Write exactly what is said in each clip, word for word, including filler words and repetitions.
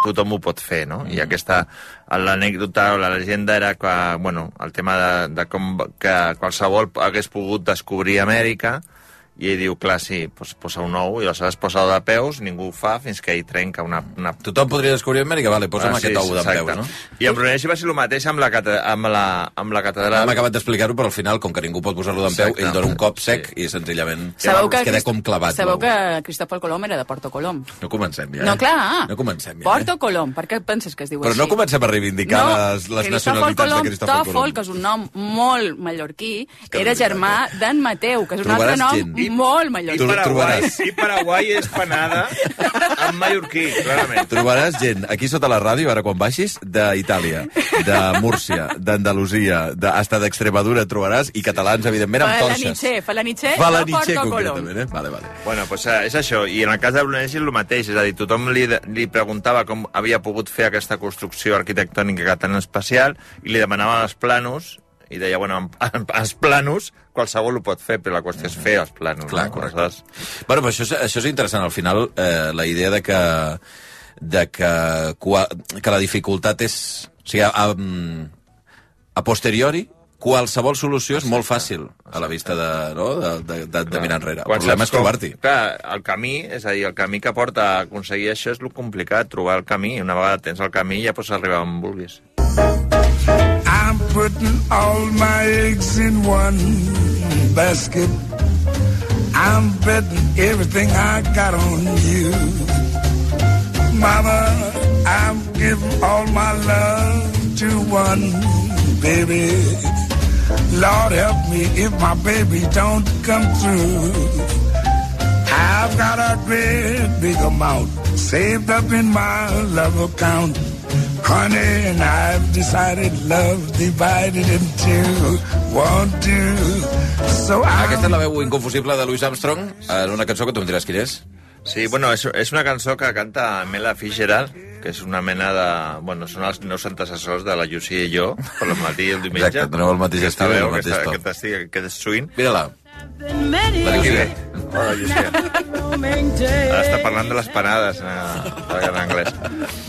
tothom ho pot fer, no? Mm. I aquesta, l'anècdota o la llegenda era que, bueno, el tema de, de com que qualsevol hagués pogut descobrir Amèrica, i ell diu, clar, sí, pues, posa un ou, i aleshores posa de peus, ningú ho fa fins que ell trenca una... una... Tothom podria descobrir Amèrica? Vale, posa'm ah, sí, aquest ou de peus, no? I en Brunelleschi va ser el mateix amb la, amb la, amb la catedral... Hem acabat d'explicar-ho, però al final, com que ningú pot posar-lo d'en peu, ell dona un cop sec sí. i senzillament sabeu es queda com clavat. Sabeu que Cristòfol Colom era de Porto Colom? No comencem ja, No, clar. Eh? No comencem ja, Porto Colom, per què penses que es diu però així? Però no comencem a reivindicar no, les, les nacionalitats de Cristòfol Colom. Que és un nom molt mallorquí, era germà d'en Mateu, que és un altre nom molt mallorquí. I Paraguai, i Paraguai és panada en mallorquí, clarament. Trobaràs gent, aquí sota la ràdio, ara quan baixis, d'Itàlia, de Múrcia, d'Andalusia, de, hasta d'Extremadura trobaràs, i catalans, evidentment, amb torxes. Falanitxer, Falanitxer, concretament, eh? Vale, vale. Bueno, pues és això, i en el cas de Brunelleschi és el mateix, és a dir, tothom li, li preguntava com havia pogut fer aquesta construcció arquitectònica tan especial, i li demanava els planos, i deia, bueno, els planos qualsevol ho pot fer, però la qüestió és fer els planos. Clar, no? correcte. Bueno, però això, és, això és interessant. Al final, eh, la idea de que, de que, que la dificultat és... O sigui, a, a posteriori, qualsevol solució és molt fàcil a la vista de, no? de, de, de, de mirar enrere. El problema és trobar-t'hi. Clar, el camí, és a dir, el camí que porta a aconseguir això és el complicat, trobar el camí. Una vegada tens el camí ja pots arribar on vulguis. I'm putting all my eggs in one basket. I'm betting everything I got on you. Mama, I'm giving all my love to one baby. Lord help me if my baby don't come through. I've got a great big amount saved up in my love account. Honey, and I've decided love divided in two, one, two. So Aquesta és la veu inconfusible de Louis Armstrong, en una cançó que tu em diràs quin és. Sí, bueno, és, és una cançó que canta Mela Fitzgerald, que és una mena de... Bueno, són els nous antecessors de la Llucia i jo, per al matí i el diumenge. Exacte, doneu el mateix estil i el mateix to. Aquest estil, aquest swing. Mira-la. La Llucia. Hola, Llucia. Ara està parlant de les panades en, en anglès.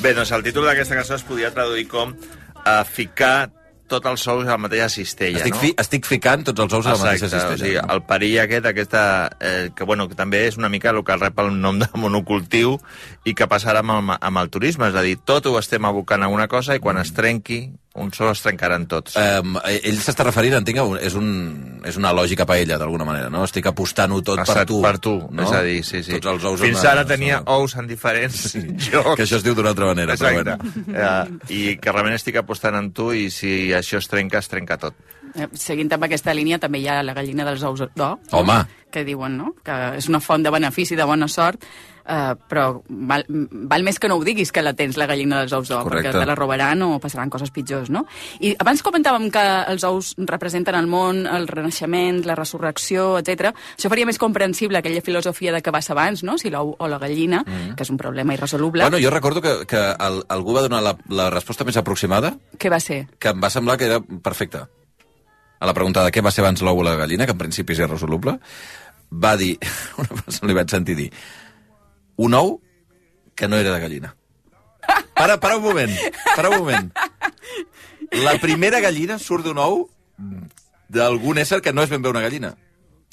Bé, doncs el títol d'aquesta cançó es podia traduir com uh, ficar tots els ous a la mateixa cistella, estic no? Fi, estic ficant tots els ous a la mateixa cistella. O sigui, el perill aquest, aquesta, eh, que, bueno, que també és una mica el que rep el nom de monocultiu i que passarà amb el, amb el turisme, és a dir, tot ho estem abocant a una cosa i quan es trenqui, un sol es trencaran tots. Um, ell s'està referint, entenc, és, un, és una lògica paella, d'alguna manera, no? Estic apostant-ho tot Estat per tu. Per tu, no? És a dir, sí, sí. Tots els ous Fins ara tenia no. ous en diferents sí. jocs. Que això es diu d'una altra manera. Exacte. Però bueno. uh, I que realment estic apostant en tu i si això es trenca, es trenca tot. Seguint amb aquesta línia, també hi ha la gallina dels ous d'or. Home! Que diuen, no?, que és una font de benefici, de bona sort, uh, però val, val més que no ho diguis que la tens, la gallina dels ous d'or, perquè te la robaran o passaran coses pitjors, no? I abans comentàvem que els ous representen el món, el renaixement, la resurrecció, etcètera. Això faria més comprensible aquella filosofia de que vas abans, no?, si l'ou o la gallina, mm. que és un problema irresoluble. Bueno, jo recordo que, que el, algú va donar la, la resposta més aproximada. Què va ser? Que em va semblar que era perfecta. A la pregunta de què va ser abans l'ou o la gallina, que en principi és irresoluble, va dir, una persona li vaig sentir dir, un ou que no era de gallina. Para, para un moment, para un moment. La primera gallina surt d'un ou d'algun ésser que no és ben bé una gallina,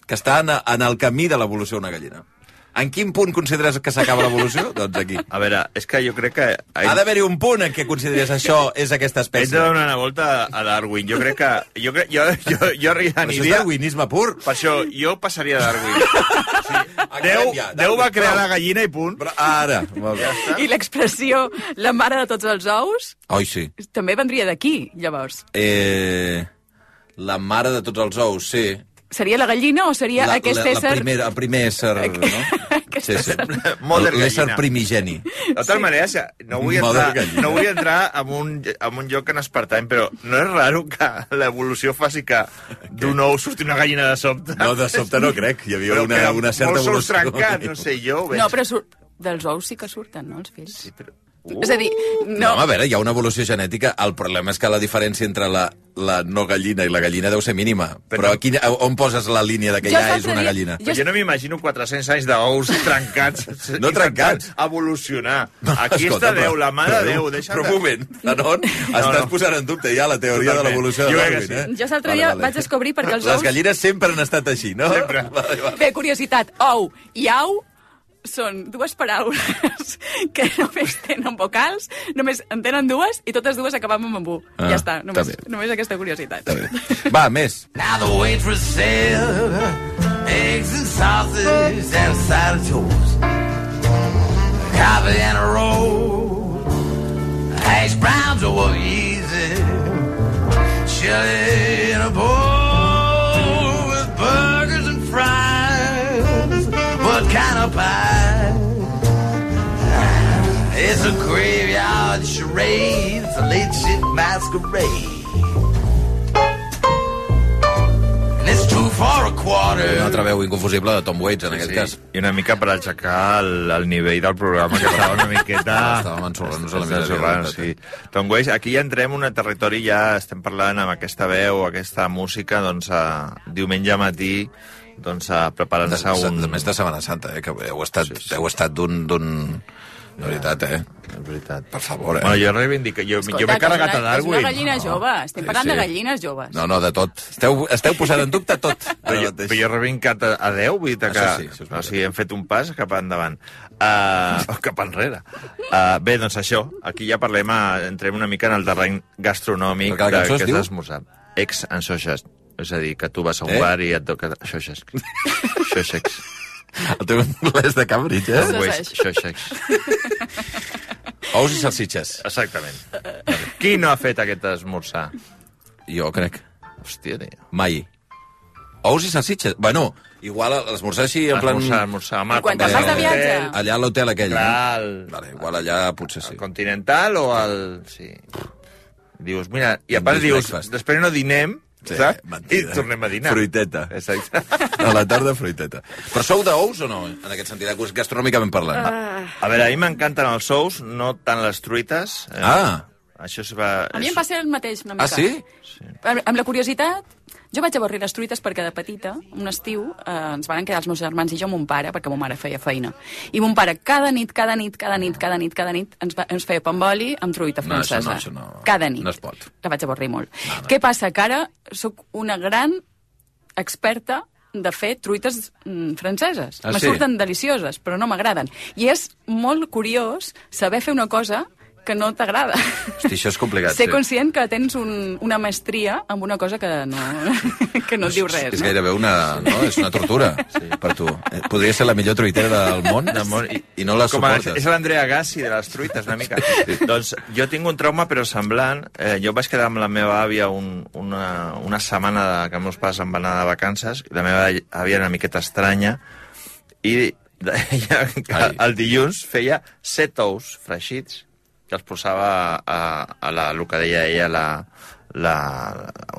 que està en, en el camí de l'evolució d'una gallina. En quin punt consideres que s'acaba l'evolució? Doncs aquí. A veure, és que jo crec que... Ha d'haver-hi un punt en què consideres això és aquesta espècie. Haig de donar una volta a Darwin. Jo crec que... Jo, crec, jo, jo, jo aniria... Això és darwinisme pur. Per això, jo passaria a Darwin. O sigui, Déu, ja, Déu va crear la gallina i punt. Però ara. Ja I l'expressió la mare de tots els ous... Oi, sí. També vendria d'aquí, llavors. Eh, la mare de tots els ous, sí. Seria la gallina o seria la, aquest la, ésser... La primer, el primer ésser, no? Sí, sí. L'ésser primigeni. De totes maneres, no vull entrar, no vull entrar en, un, en un lloc que no es pertany, però no és raro que l'evolució faci que d'un ou surti una gallina de sobte? No, de sobte no crec. Hi havia una, una certa evolució. Molts ous trencats, no sé jo. Veig. No, però sur... dels ous sí que surten, no, els fills? Sí, però... Uh. És a dir, no... No, a veure, hi ha una evolució genètica. El problema és que la diferència entre la, la no gallina i la gallina deu ser mínima. Però, però aquí, on poses la línia de que ja és una gallina? Jo, jo no m'imagino quatre-cents anys d'ous trencats. No trencats. Evolucionar. Aquí Escolta, està Déu, la mà de Déu. Deixa però un moment, Zanon, no, estàs no. posant en dubte ja la teoria Totalment. de l'evolució de Darwin. Sí. Eh? Jo l'altre dia vale, vale. vaig descobrir perquè els ous... Les gallines sempre han estat així, no? Sempre. Bé, curiositat, ou i au són dues paraules que només tenen vocals, només en tenen dues i totes dues acaben amb u. Ah, ja està, només, només aquesta curiositat. Va, més. Now the waitress said eggs and sausage and a side of toast, coffee and a roll, hash browns over easy, chili in a bowl with burgers and fries. What kind of pie? It's a graveyard charade. It's a late shit masquerade. And it's two for a quarter. Una altra veu inconfusible de Tom Waits, en sí, aquest sí. cas. I una mica per aixecar el, el nivell del programa, que estava una miqueta... Estàvem ensorrant-nos a la miseria. Sí. Tom Waits, aquí ja entrem en un territori, ja estem parlant amb aquesta veu, aquesta música, doncs, a diumenge matí, doncs, preparant-se un... De més de Setmana Santa, eh, que heu estat, sí, sí. heu estat d'un... De veritat, eh? És veritat. Per favor, eh? Bueno, jo reivindico... Jo, Escolta, jo m'he carregat a Darwin. És una gallina no. jove. Estem parlant sí, sí. de gallines joves. No, no, de tot. Esteu, esteu posant en dubte tot. Però jo, però jo he reivindicat a, a deu, vull dir que... Això sí, això és o sigui, hem fet un pas cap endavant. Uh, o cap enrere. Uh, bé, doncs això. Aquí ja parlem, a, entrem una mica en el terreny gastronòmic de, que és l'esmorzar. Ex and Xoixes. És a dir, que tu vas a un eh? bar i et toca... Xoixes. Xoixes. El teu anglès de Cambridge, eh? Xoixes. Ous i salsitxes. Exactament. Qui no ha fet aquest esmorzar? Jo crec. Hòstia, tio. Mai. Ous i salsitxes? Bueno, igual l'esmorzar així en plan... Esmorzar, esmorzar. I quan te'n vas de viatge? Allà a l'hotel aquell, Clar, no? El... Vale, igual allà potser sí. El Continental o el... Sí. Dius, mira, i a part dius, després no dinem, sí, saps? Mentida. I tornem a dinar. Fruiteta. Exacte. A la tarda, fruiteta. Però sou d'ous o no, en aquest sentit, gastronòmicament parlant? Uh... A veure, a mi m'encanten els ous, no tant les truites. Eh? Ah! Això es va... A mi em passa el mateix, una mica. Ah, sí? Sí. Amb, amb la curiositat, jo vaig avorrir les truites perquè de petita, un estiu, eh, ens van quedar els meus germans i jo amb mon pare, perquè mon mare feia feina. I mon pare cada nit, cada nit, cada nit, cada nit, cada nit, ens, va, ens feia pamboli amb truita francesa. No, això no, això no. Cada nit. No es pot. La vaig avorrir molt. No, no. Què passa? Que ara sóc una gran experta de fer truites mm, franceses. Ah, Me sí? surten delicioses, però no m'agraden. I és molt curiós saber fer una cosa que no t'agrada. Hosti, això és complicat. Ser sí. conscient que tens un, una maestria amb una cosa que no, que no et diu res. És no? gairebé una... No? És una tortura sí. per tu. Podria ser la millor truitera del món, del món i, i no la Com a, suportes. és l'Andrea Gassi de les truites, una mica. Sí. Doncs jo tinc un trauma, però semblant. Eh, jo vaig quedar amb la meva àvia un, una, una setmana de, que meus pares em van anar de vacances, i la meva àvia era una miqueta estranya, i deia que el dilluns feia set ous freixits, que els posava a, a la, el que deia ella, la, la,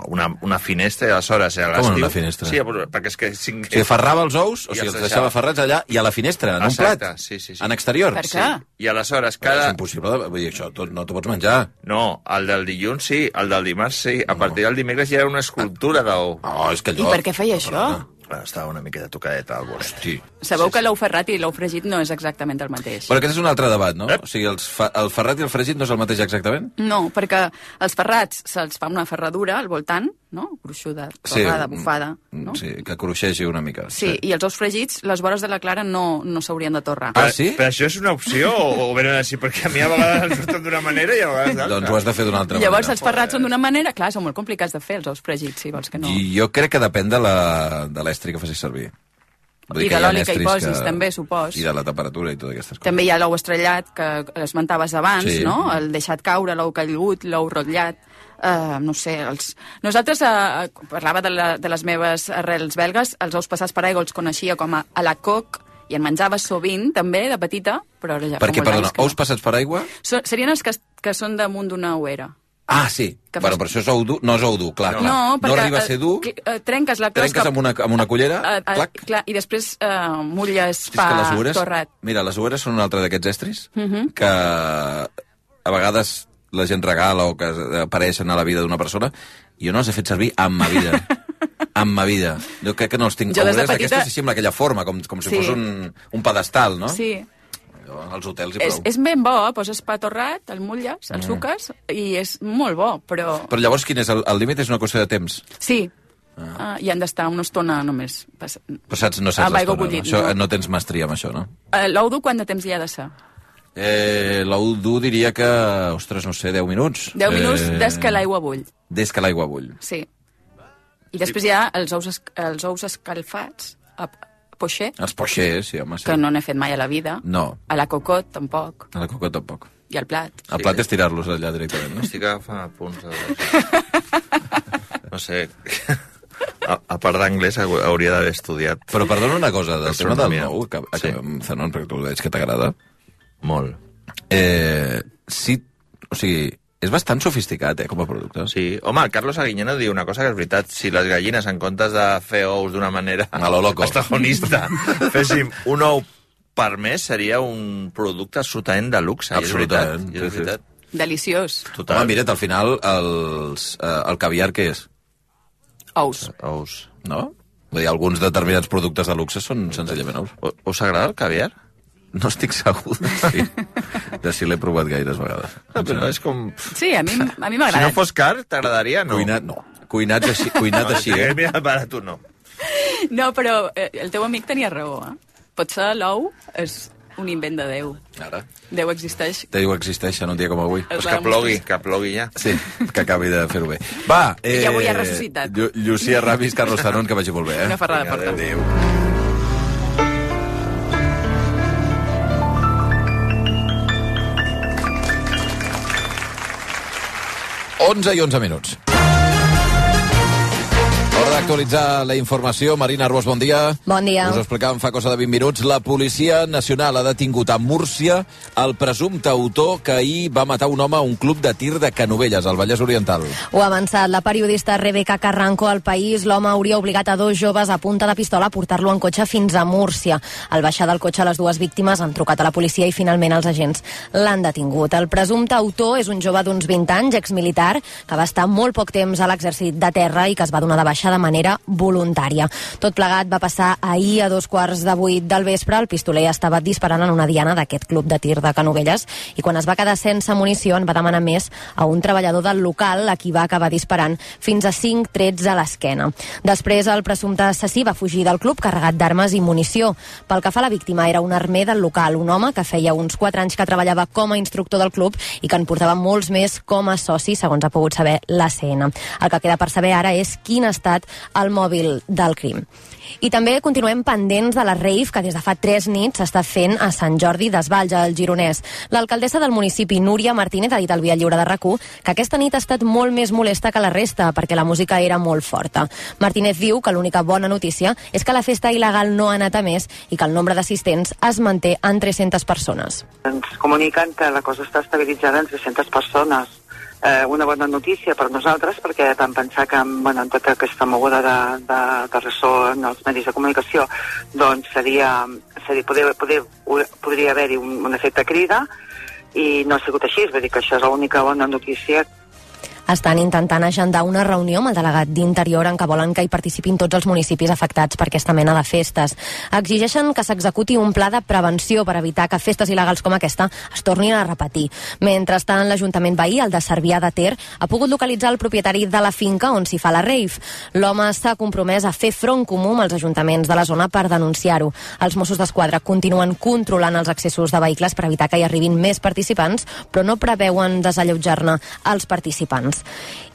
una, una finestra, i aleshores... A Com una finestra? Sí, perquè és que... Cinc... O sigui, ferrava els ous, o sigui, els deixava ferrats allà, i a la finestra, en Exacte, un plat? Sí, sí, sí. En exterior? Per què? Sí. I aleshores cada... És impossible, vull dir, això tot, no t'ho pots menjar. No, el del dilluns sí, el del dimarts sí. A partir del dimecres ja era una escultura d'ou. Oh, és que allò... I per què feia això? Bueno, estava una miqueta tocadeta al bolet. Hosti. Sabeu Sí, que sí. l'ou ferrat i l'ou fregit no és exactament el mateix. Però aquest és un altre debat, no? Ep. O sigui, els fa... el ferrat i el fregit no és el mateix exactament? No, perquè els ferrats se'ls fa una ferradura al voltant, no? Gruixuda, torrada, Sí, bufada, no? Sí, que cruixegi una mica. Sí, i els ous fregits, les vores de la clara no, no s'haurien de torrar. Ah, sí? Però això és una opció o, o venen així? Perquè a mi a vegades em surten d'una manera i a vegades d'altra. Doncs ho has de fer d'una altra Llavors, manera. els ferrats són d'una manera... Clar, són molt complicats de fer, els ous fregits, si vols que no. I jo crec que depèn de la- de l'estri que facis servir. Vull dir I que de hi ha l'oli que hi estris posis, també, supos. I de la temperatura i totes aquestes coses. També hi ha l'ou estrellat, que esmentaves abans, Sí. no? El deixat caure, l'ou caigut, l'ou rotllat... Uh, no sé, els... nosaltres, uh, parlava de, la, de les meves arrels belgues, els ous passats per aigua els coneixia com a, a la coc, i en menjava sovint, també, de petita, però ara ja Perquè, fa molts perdona, anys que ous passats per aigua? So, serien els que, que són damunt d'una ouera. Ah, sí. Que Bueno, fas- però això és ou dur. No és ou dur, clar. No, clar. no, perquè... no arriba a ser dur, eh, eh, trenques la closca... trenques amb una, amb una cullera, eh, eh, clac. clar, i després eh, mulles És pa que les oueres, torrat. mira, les oueres són un altre d'aquests estris Mhm. que vegades la gent regala o que apareixen a la vida d'una persona, jo no els he fet servir en ma vida. En ma vida. Jo crec que no els tinc... Jo des de petita... Aquesta sí sembla aquella forma, com, com si sí. fos un, un pedestal, no? Sí. Jo, als hotels i és, prou. és ben bo, poses pa torrat, el mulles, el mm. suques, i és molt bo, però... Però llavors quin és? El, el límit és una qüestió de temps? Sí. Ah. Uh, I han d'estar una estona només. Pas... Però saps, no saps l'estona, no? Això, no. no tens mestria amb això, no? Uh, L'ou dur, quant de temps hi ha de ser? Eh, L'ou dur diria que, ostres, no sé, deu minuts. deu minuts eh... des que l'aigua bull. Des que l'aigua bull. Sí. I després hi ha els ous, es... els ous escalfats, a pocher. Els pochers, sí, home, sí. Que no n'he fet mai a la vida. No. A la cocot, tampoc. A la cocot, tampoc. I al plat. El plat és tirar-los allà directament, no? Estic agafant apunts. No sé... A, a part d'anglès hauria d'haver estudiat. Però perdona una cosa, del tema del nou, que, sí. que, Zanon, perquè tu veig que t'agrada. Molt. Eh, sí, o sigui, és bastant sofisticat, eh, com a producte. Sí. Home, el Carlos Aguiñeno diu una cosa que és veritat. Si les gallines, en comptes de fer ous d'una manera a lo loco estajonista, féssim un ou per mes, seria un producte absolutament de luxe. Absolutament. I és veritat. I és veritat. Deliciós. Total. Home, mira't, al final, els, eh, el caviar què és? Ous. Ous. No? Vull dir, alguns determinats productes de luxe són senzillament ous. O, us agrada el caviar? No estic segur de si, de si l'he provat gaires vegades. No, però és com... Sí, a mi, a mi m'agrada. Si no fos car, t'agradaria? No. Cuinat, no. Cuinat així, cuinat no, així, eh? Mira, para tu no. No, però eh, el teu amic tenia raó, eh? Potser l'ou és un invent de Déu. Ara. Déu existeix. Déu existeix en un dia com avui. Pues que plogui, que plogui ja. Sí, que acabi de fer-ho bé. Va, eh... Ja avui ha ressuscitat. Llu Llucia Ramis, Carlos Zanon, que vagi molt bé, eh? Una ferrada de porta. Adéu. onze i onze minuts. Hora d'actualitzar la informació. Marina Arbós, bon dia. Bon dia. Us ho explicàvem fa cosa de vint minuts. La Policia Nacional ha detingut a Múrcia el presumpte autor que ahir va matar un home a un club de tir de Canovelles, al Vallès Oriental. Ho ha avançat la periodista Rebeca Carranco al País. L'home hauria obligat a dos joves a punta de pistola a portar-lo en cotxe fins a Múrcia. Al baixar del cotxe, les dues víctimes han trucat a la policia i finalment els agents l'han detingut. El presumpte autor és un jove d'uns vint anys, exmilitar, que va estar molt poc temps a l'exèrcit de terra i que es va donar de baixa de manera voluntària. Tot plegat va passar ahir a dos quarts de vuit del vespre. El pistoler estava disparant en una diana d'aquest club de tir de Canovelles i quan es va quedar sense munició en va demanar més a un treballador del local, a qui va acabar disparant fins a cinc trets a l'esquena. Després el presumpte assassí va fugir del club carregat d'armes i munició. Pel que fa a la víctima, era un armer del local, un home que feia uns quatre anys que treballava com a instructor del club i que en portava molts més com a soci, segons ha pogut saber l'A C N. El que queda per saber ara és quin ha estat el mòbil del crim. I també continuem pendents de la rave que des de fa tres nits s'està fent a Sant Jordi d'Esvalls, al Gironès. L'alcaldessa del municipi, Núria Martínez, ha dit al Via Lliure de RAC u que aquesta nit ha estat molt més molesta que la resta perquè la música era molt forta. Martínez diu que l'única bona notícia és que la festa il·legal no ha anat a més i que el nombre d'assistents es manté en tres-centes persones. Ens comuniquen que la cosa està estabilitzada en tres-centes persones. Eh, una bona notícia per nosaltres, perquè vam pensar que bueno, en tota aquesta moguda de, de, de ressò en els medis de comunicació doncs seria, seria poder, poder, podria haver-hi un, un efecte crida i no ha sigut així, vull dir que això és l'única bona notícia. Estan intentant agendar una reunió amb el delegat d'Interior en què volen que hi participin tots els municipis afectats per aquesta mena de festes. Exigeixen que s'executi un pla de prevenció per evitar que festes il·legals com aquesta es tornin a repetir. Mentrestant, l'Ajuntament veí, el de Cervià de Ter, ha pogut localitzar el propietari de la finca on s'hi fa la rave. L'home s'ha compromès a fer front comú amb els ajuntaments de la zona per denunciar-ho. Els Mossos d'Esquadra continuen controlant els accessos de vehicles per evitar que hi arribin més participants, però no preveuen desallotjar-ne els participants.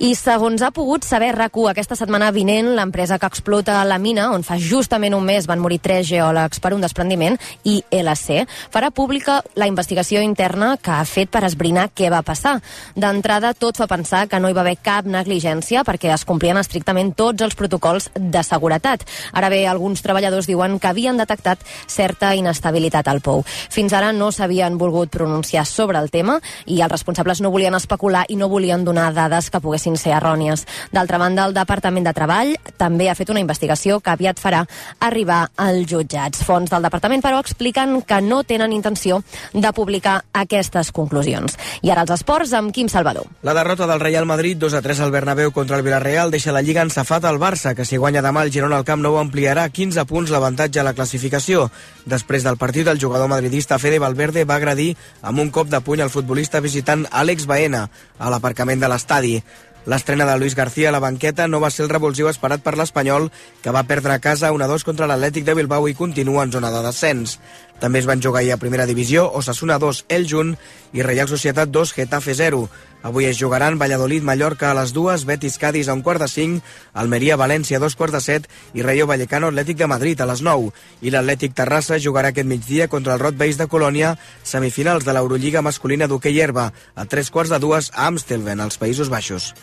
I segons ha pogut saber RAC u, aquesta setmana vinent, l'empresa que explota la mina, on fa justament un mes van morir tres geòlegs per un desprendiment, I L C, farà pública la investigació interna que ha fet per esbrinar què va passar. D'entrada, tot fa pensar que no hi va haver cap negligència perquè es complien estrictament tots els protocols de seguretat. Ara bé, alguns treballadors diuen que havien detectat certa inestabilitat al pou. Fins ara no s'havien volgut pronunciar sobre el tema i els responsables no volien especular i no volien donar dades dades que poguessin ser errònies. D'altra banda, el Departament de Treball també ha fet una investigació que aviat farà arribar als jutjats. Fonts del departament, però, expliquen que no tenen intenció de publicar aquestes conclusions. I ara els esports amb Quim Salvador. La derrota del Real Madrid dos a tres al Bernabéu contra el Villarreal deixa la Lliga ensafat al Barça, que si guanya demà el Girona al Camp Nou ampliarà quinze punts l'avantatge a la classificació. Després del partit, el jugador madridista Fede Valverde va agredir amb un cop de puny al futbolista visitant Àlex Baena a l'aparcament de l'estadi. L'estrena de Luis García a la banqueta no va ser el revulsiu esperat per l'Espanyol, que va perdre a casa un a dos contra l'Atlètic de Bilbao i continua en zona de descens. També es van jugar ahir a primera divisió Osasuna dos, Eljunt i Reial Societat dos, Getafe zero. Avui es jugaran Valladolid-Mallorca a les dues, Betis-Cádiz a un quart de cinc, Almeria-València a dos quarts de set i Rayo Vallecano-Atlètic de Madrid a les nou. I l'Atlètic Terrassa jugarà aquest migdia contra el Rot Beis de Colònia, semifinals de l'Eurolliga masculina d'hoquei herba, a tres quarts de dues a Amstelveen, als Països Baixos.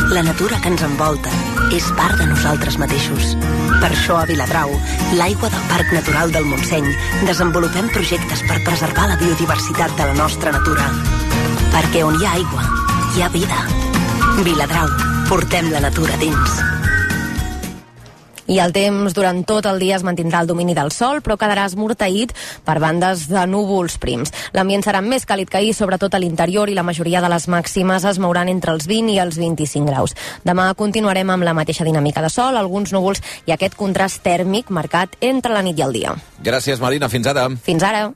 La natura que ens envolta és part de nosaltres mateixos. Per això a Viladrau, l'aigua del Parc Natural del Montseny, desenvolupem projectes per preservar la biodiversitat de la nostra natura. Perquè on hi ha aigua, hi ha vida. Viladrau, portem la natura dins. I el temps durant tot el dia es mantindrà el domini del sol, però quedarà esmorteït per bandes de núvols prims. L'ambient serà més càlid que ahir, sobretot a l'interior, i la majoria de les màximes es mouran entre els vint i els vint-i-cinc graus. Demà continuarem amb la mateixa dinàmica de sol, alguns núvols i aquest contrast tèrmic marcat entre la nit i el dia. Gràcies, Marina. Fins ara. Fins ara.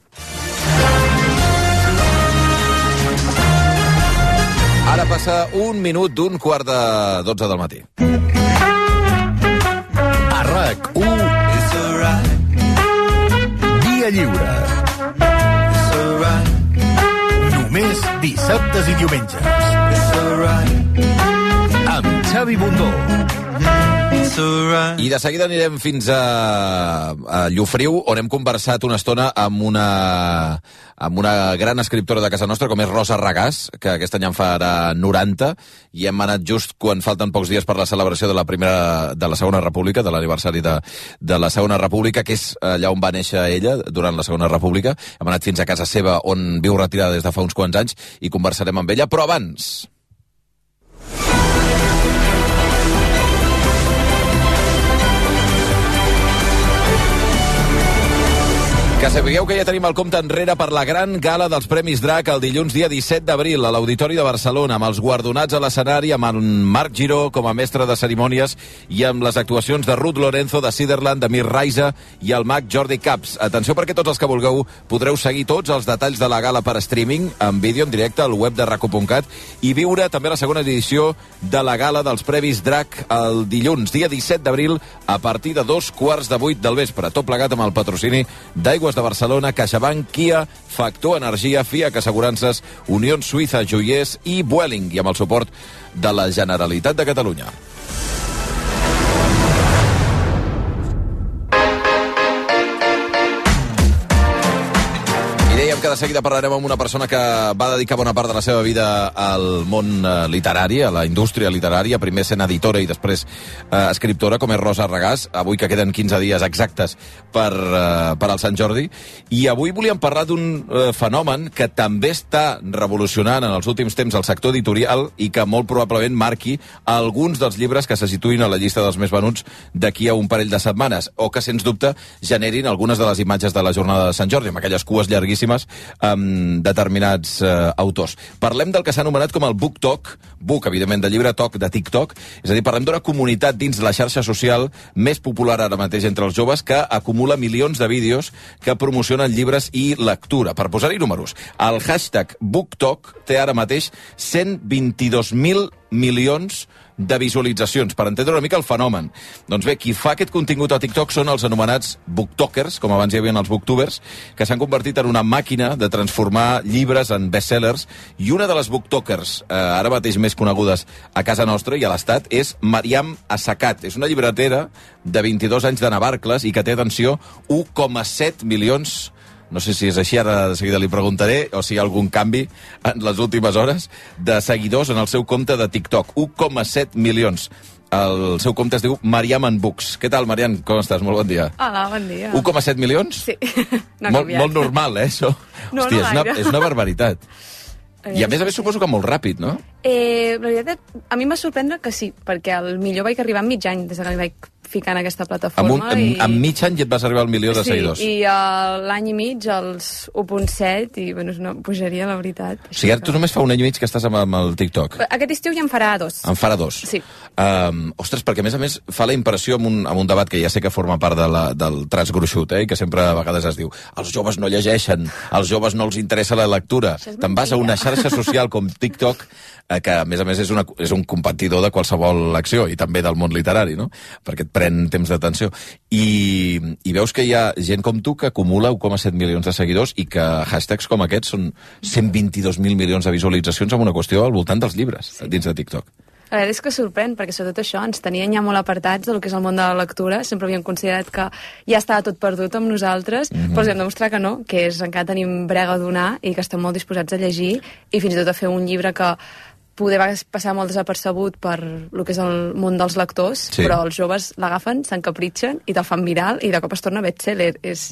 Ara passa un minut d'un quart de dotze del matí. RAC u Dia Lliure. Només dissabtes i diumenges. Amb Xavi Bundó. I de seguida anirem fins a, a Llofriu, on hem conversat una estona amb una, amb una gran escriptora de casa nostra, com és Rosa Regàs, que aquest any en farà noranta, i hem anat just quan falten pocs dies per la celebració de la primera, de la Segona República, de l'aniversari de, de la Segona República, que és allà on va néixer ella, durant la Segona República. Hem anat fins a casa seva, on viu retirada des de fa uns quants anys, i conversarem amb ella, però abans... Que sapigueu que ja tenim el compte enrere per la gran gala dels Premis Drac el dilluns dia disset d'abril a l'Auditori de Barcelona, amb els guardonats a l'escenari, amb en Marc Giró com a mestre de cerimònies i amb les actuacions de Ruth Lorenzo, de Siderland, de Mir Raiza i el mag Jordi Caps. Atenció, perquè tots els que vulgueu podreu seguir tots els detalls de la gala per streaming, en vídeo en directe al web de rac u punt cat, i viure també la segona edició de la gala dels Premis Drac el dilluns dia disset d'abril a partir de dos quarts de vuit del vespre. Tot plegat amb el patrocini d'Aigües de Barcelona, CaixaBank, Kia, Factor Energia, FIAC Assegurances, Unió Suïssa Joiers i Vueling, i amb el suport de la Generalitat de Catalunya. Que de seguida parlarem amb una persona que va dedicar bona part de la seva vida al món eh, literari, a la indústria literària, primer sent editora i després eh, escriptora, com és Rosa Regàs, avui que queden quinze dies exactes per, eh, per al Sant Jordi. I avui volíem parlar d'un eh, fenomen que també està revolucionant en els últims temps el sector editorial i que molt probablement marqui alguns dels llibres que se situïn a la llista dels més venuts d'aquí a un parell de setmanes, o que, sens dubte, generin algunes de les imatges de la jornada de Sant Jordi, amb aquelles cues llarguíssimes amb determinats eh, autors. Parlem del que s'ha anomenat com el Book Talk, Book, evidentment, de llibre, Talk, de TikTok, és a dir, parlem d'una comunitat dins la xarxa social més popular ara mateix entre els joves que acumula milions de vídeos que promocionen llibres i lectura. Per posar-hi números, el hashtag BookTalk té ara mateix cent vint-i-dos mil milions de visualitzacions, per entendre una mica el fenomen. Doncs bé, qui fa aquest contingut a TikTok són els anomenats booktokers, com abans hi havia els booktubers, que s'han convertit en una màquina de transformar llibres en bestsellers, i una de les booktokers, eh, ara mateix més conegudes a casa nostra i a l'Estat, és Mariam Assacat. És una llibretera de vint-i-dos anys de Navarcles i que té, atenció, u coma set milions. No sé si és així, ara de seguida li preguntaré, o si hi ha algun canvi en les últimes hores, de seguidors en el seu compte de TikTok. u coma set milions. El seu compte es diu Mariam en Books. Què tal, Mariam? Com estàs? Molt bon dia. Hola, bon dia. u coma set milions? Sí, no ha molt, canviat. molt normal, eh, això? No, Hòstia, no és, una, és una barbaritat. I a més a més suposo que molt ràpid, no? Eh, la veritat, a mi em va sorprendre que sí, perquè al millor vaig arribar en mig any des que li vaig ficar en aquesta plataforma. Amb, un, i... amb, amb mig any ja et vas arribar al milió de sí, seguidors. Sí, i uh, l'any i mig els u coma set, i bueno, és una pujaria, la veritat. O sigui, ara tu només fa un any i mig que estàs amb, amb el TikTok. Aquest estiu ja en farà dos. En farà dos? Sí. Um, ostres, perquè a més a més fa la impressió amb un, amb un debat que ja sé que forma part de la, del traç gruixut, eh, i que sempre a vegades es diu els joves no llegeixen, als joves no els interessa la lectura. Te'n vas a una xarxa social com TikTok, eh, que a més a més és, una, és un competidor de qualsevol acció, i també del món literari, no? Perquè et pren temps d'atenció. I, i veus que hi ha gent com tu que acumula u coma set milions de seguidors i que hashtags com aquests són cent vint-i-dos mil milions de visualitzacions amb una qüestió al voltant dels llibres, sí, dins de TikTok. La veritat és que sorprèn, perquè sobretot això ens tenien ja molt apartats del que és el món de la lectura, sempre havíem considerat que ja estava tot perdut amb nosaltres, mm-hmm. però els hem demostrat que no, que és encara tenim brega a donar i que estem molt disposats a llegir i fins i tot a fer un llibre que poder va passar molt desapercebut per el que és el món dels lectors, sí, però els joves l'agafen, s'encapritxen i te'l fan viral i de cop es torna bestseller. És...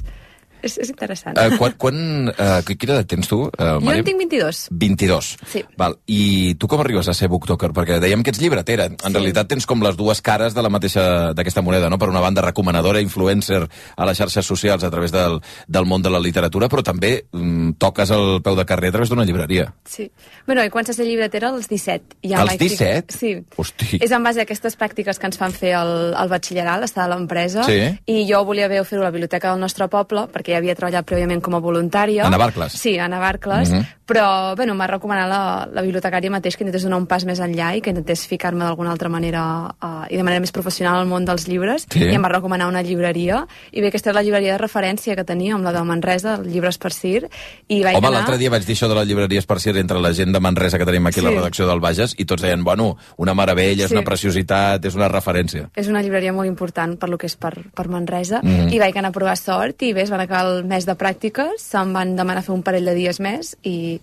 És, és interessant. Uh, quan, quan, uh, quina edat tens tu, uh, Jo en tinc vint-i-dos. vint-i-dos. Sí. Val. I tu com arribes a ser booktoker? Perquè dèiem que ets llibretera. En sí. realitat tens com les dues cares de la mateixa d'aquesta moneda, no? Per una banda, recomanadora, influencer a les xarxes socials a través del, del món de la literatura, però també mm, toques el peu de carrer a través d'una llibreria. Sí. Bueno, he començat a ser llibretera als disset. Ja als disset? Sí. Hosti. És en base a aquestes pràctiques que ens fan fer al, al batxillerat, estar a l'empresa, sí, i jo volia haver fer-ho a la biblioteca del nostre poble, perquè ja havia treballat prèviament com a voluntària. A Navarcles? Sí, a Navarcles, uh-huh. però bueno, m'ha recomanat la, la bibliotecària mateix que intentés donar un pas més enllà i que intentés ficar-me d'alguna altra manera uh, i de manera més professional al món dels llibres, sí, i em va recomanar una llibreria, i bé, aquesta és la llibreria de referència que teníem, la de Manresa, Llibres per Cir, i vaig Home, anar... l'altre dia vaig dir això de les llibreries per Cir entre la gent de Manresa que tenim aquí, sí, a la redacció del Bages, i tots deien, bueno, una meravella, és sí, una preciositat, és una referència. És una llibreria molt important per lo que és per, per Manresa, mm-hmm. i vaig anar a provar sort, i bé, es van acabar el mes de pràctiques, se'm van demanar fer un parell de dies més, i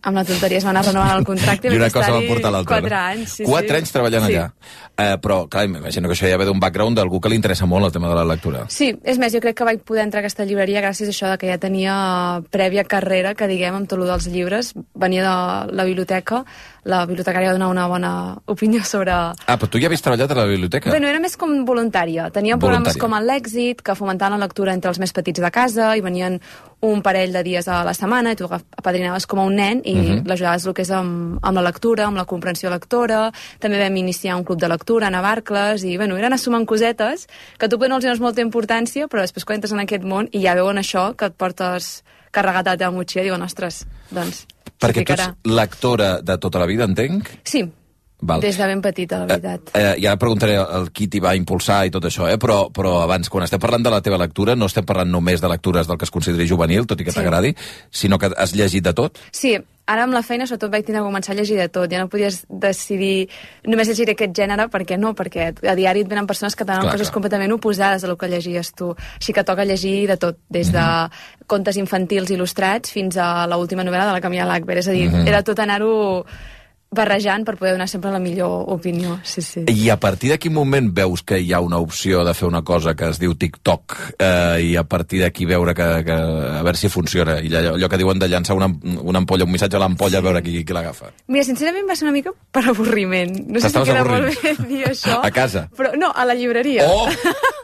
amb la tonteria es va anar renovant el contracte i una cosa va portar l'altra. Quatre anys, sí, Quatre sí. anys treballant sí. allà. Uh, però, clar, m'imagino que això ja ve d'un background d'algú que li interessa molt el tema de la lectura. Sí, és més, jo crec que vaig poder entrar a aquesta llibreria gràcies a això de que ja tenia prèvia carrera, que diguem, amb tot el dels llibres. Venia de la biblioteca, la bibliotecària va donar una bona opinió sobre... Ah, però tu ja havies treballat a la biblioteca? Bé, no era més com voluntària. Teníem programes com el L'Èxit, que fomentaven la lectura entre els més petits de casa, i venien un parell de dies a la setmana, i tu apadrinaves com a un nen i uh-huh. l'ajudaves el que és amb, amb la lectura, amb la comprensió lectora. També vam iniciar un club de lectura a Navarcles, i bueno, eren assumant cosetes que tu no els dones molta importància, però després quan entres en aquest món i ja veuen això, que et portes carregat a la teva motxilla, diuen, ostres, doncs... Perquè tu ets lectora de tota la vida, entenc? Sí. Val. Des de ben petita, la veritat. Eh, eh, ja preguntaré el qui t'hi va impulsar i tot això, eh? però, però abans, quan estem parlant de la teva lectura, no estem parlant només de lectures del que es consideri juvenil, tot i que sí. t'agradi, sinó que has llegit de tot? Sí, ara amb la feina sobretot vaig tenir que començar a llegir de tot. Ja no podies decidir només llegir aquest gènere, perquè no, perquè a diari et venen persones que tenen coses clar. completament oposades a lo que llegies tu. Així que toca llegir de tot, des de mm-hmm. contes infantils il·lustrats fins a l'última novel·la de la Camila Lackberg. És a dir, mm-hmm. era tot anar-ho barrejant per poder donar sempre la millor opinió. Sí, sí. I a partir de quin moment veus que hi ha una opció de fer una cosa que es diu TikTok eh, i a partir d'aquí veure que, que a veure si funciona, i allò, allò que diuen de llançar una, una ampolla, un missatge a l'ampolla, sí. a veure qui, qui l'agafa? Mira, sincerament va ser una mica per avorriment. No sé si queda molt bé dir això. A casa? Però no, a la llibreria. Oh!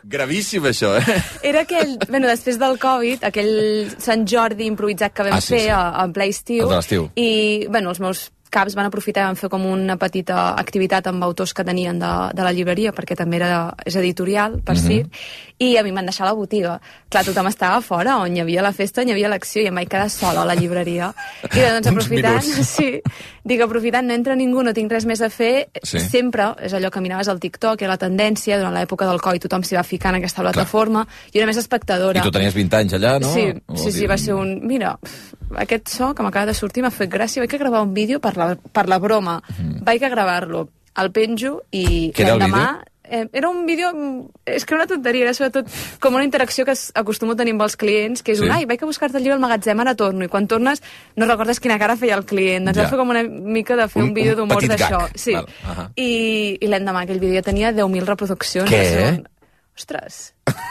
Gravíssim, això, eh? Era aquell, bueno, després del Covid, aquell Sant Jordi improvisat que vam ah, sí, fer sí. en ple estiu. El de l'estiu. I, bueno, els meus caps van aprofitar i van fer com una petita activitat amb autors que tenien de, de la llibreria, perquè també era, és editorial, per mm-hmm. Cir, i a mi em van deixar a la botiga. Clar, tothom estava fora, on hi havia la festa, on hi havia l'acció, i em vaig quedar sola a la llibreria. I doncs aprofitant, sí, dic, aprofitant, no entra ningú, no tinc res més a fer, sí. sempre, és allò que miraves al TikTok, era la tendència, durant l'època del Covid tothom s'hi va ficar en aquesta plataforma, Clar. jo era més espectadora. I tu tenies vint anys allà, no? Sí, sí, sí, va ser un... Mira, aquest so que m'acaba de sortir m'ha fet gràcia, vaig a gravar un vídeo per la, per la broma, mm. vaig a gravar-lo, el penjo i l'endemà... Eh, era un vídeo... És que era una tonteria, era sobretot com una interacció que acostumo a tenir amb els clients, que és sí. un, ai, vaig a buscar-te el llibre al magatzem, ara torno, i quan tornes no recordes quina cara feia el client. Doncs ja. va fer com una mica de fer un, un vídeo d'humor d'això. Sí. Uh-huh. I, i l'endemà aquell vídeo tenia deu mil reproduccions. Què? Són... Ostres.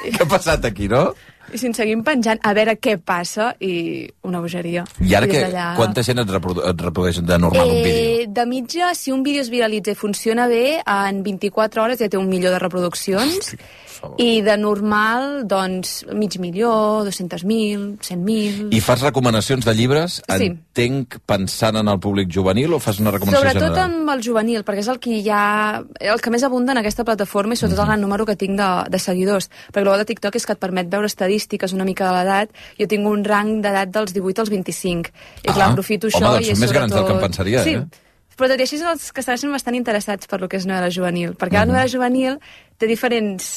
Què ha passat aquí, no? I si ens seguim penjant, a veure què passa, i una bogeria. I ara que, quanta gent et, reprodu et reprodueix de normal eh, un vídeo? De mitja, si un vídeo es viralitza i funciona bé, en vint-i-quatre hores ja té un milió de reproduccions. Hosti. I de normal, doncs, mig milió, dos-cents mil, cent mil... I fas recomanacions de llibres, sí. entenc, pensant en el públic juvenil, o fas una recomanació Sobretot general? amb el juvenil, perquè és el que hi ha... el que més abunda en aquesta plataforma i sobretot mm-hmm. el gran número que tinc de, de seguidors. Perquè el bo de TikTok és que et permet veure estadístiques una mica de l'edat. Jo tinc un rang d'edat dels divuit als vint-i-cinc. I clar, ah, aprofito home, això... Home, doncs són més sobretot... grans del que em pensaria, sí. eh? Però tot i així són els que estan bastant interessats per lo que és novel·la juvenil. Perquè mm-hmm. la novel·la juvenil té diferents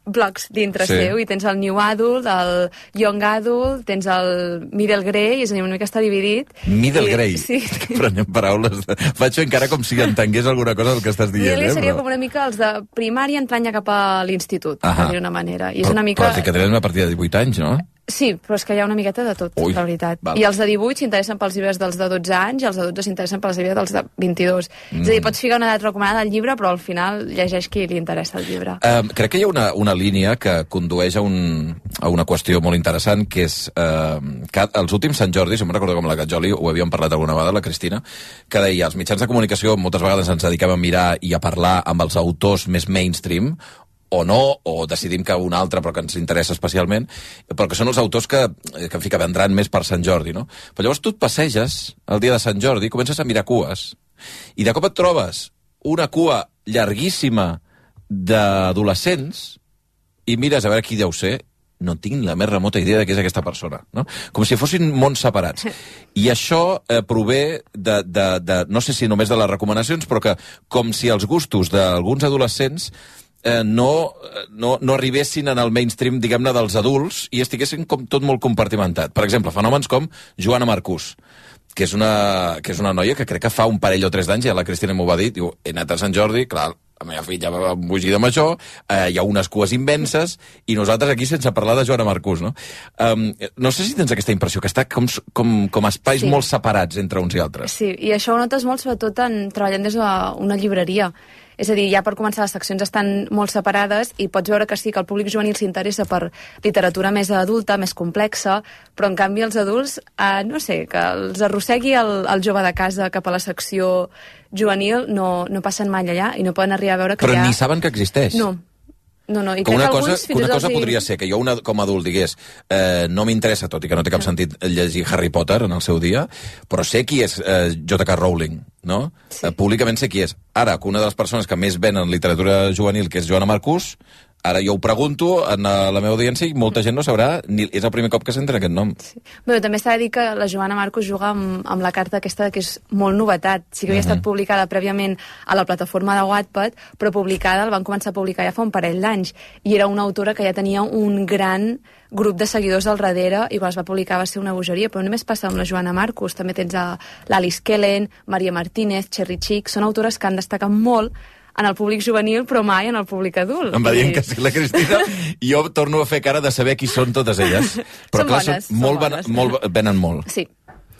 blocs dintre sí. seu, i tens el New Adult, el Young Adult, tens el Middle Grey, és a dir, una mica està dividit. Middle I, Grey? Sí. Prenem paraules. De... Faig encara com si entengués alguna cosa del que estàs dient. Middle eh, seria però... com una mica els de primària entrant ja cap a l'institut, per dir-ho d'una manera. I és però, una mica... Però que tenen a partir de divuit anys, no? Sí, però és que hi ha una miqueta de tot, Ui, la veritat. val. I els de divuit s'interessen pels llibres dels de dotze anys i els de dotze s'interessen pels llibres dels de vint-i-dos. Mm. És a dir, pots ficar una edat recomanada al llibre, però al final llegeix qui li interessa el llibre. Uh, crec que hi ha una, una línia que condueix a, un, a una qüestió molt interessant, que és uh, que els últims Sant Jordi, si me'n recordo com la Gatjoli, ho havíem parlat alguna vegada, la Cristina, que deia, els mitjans de comunicació moltes vegades ens dediquem a mirar i a parlar amb els autors més mainstream, o no, o decidim que un altre però que ens interessa especialment, però que són els autors que, que en fi, que vendran més per Sant Jordi, no? Però llavors tu et passeges el dia de Sant Jordi, comences a mirar cues, i de cop et trobes una cua llarguíssima d'adolescents i mires a veure qui deu ser, no tinc la més remota idea de què és aquesta persona, no? Com si fossin mons separats. I això eh, prové de, de, de, no sé si només de les recomanacions, però que com si els gustos d'alguns adolescents Eh, no, no, no arribessin en el mainstream, diguem-ne, dels adults i estiguessin com tot molt compartimentat. Per exemple, fenòmens com Joana Marcús, que és una, que és una noia que crec que fa un parell o tres d'anys, ja la Cristina m'ho va dir, diu, he anat a Sant Jordi, clar, la meva filla va embogir de major, eh, hi ha unes cues immenses, i nosaltres aquí sense parlar de Joana Marcús, no? Um, no sé si tens aquesta impressió, que està com, com, com espais sí. molt separats entre uns i altres. Sí, i això ho notes molt, sobretot en treballant des d'una llibreria. És a dir, ja per començar les seccions estan molt separades i pots veure que sí, que el públic juvenil s'interessa per literatura més adulta, més complexa, però en canvi els adults, eh, no sé, que els arrossegui el, el jove de casa cap a la secció juvenil, no, no passen mai allà i no poden arribar a veure que però ja... ni saben que existeix. No. No, no, i que una que cosa, alguns, que una cosa els... podria ser que jo una, com a adult digués eh, no m'interessa, tot i que no té cap sentit llegir Harry Potter en el seu dia, però sé qui és eh, J K Rowling, no? Sí. Eh, públicament sé qui és. Ara, que una de les persones que més venen literatura juvenil, que és Joana Marcús, ara jo ho pregunto en la meva audiència i molta gent no sabrà, ni és el primer cop que s'entra aquest nom. Sí. Bé, també s'ha de dir que la Joana Marcús juga amb, amb la carta aquesta que és molt novetat. Sí que havia uh -huh. estat publicada prèviament a la plataforma de Wattpad, però publicada, el van començar a publicar ja fa un parell d'anys, i era una autora que ja tenia un gran grup de seguidors al darrere, i quan es va publicar va ser una bogeria, però no només passa amb la Joana Marcús, també tens l'Alice Kellen, Maria Martínez, Cherry Chick, són autores que han destacat molt en el públic juvenil, però mai en el públic adult. Em va dient que sí, la Cristina, i jo torno a fer cara de saber qui són totes elles. Però són clar, bones, són molt, són bones. Molt, venen molt. Sí.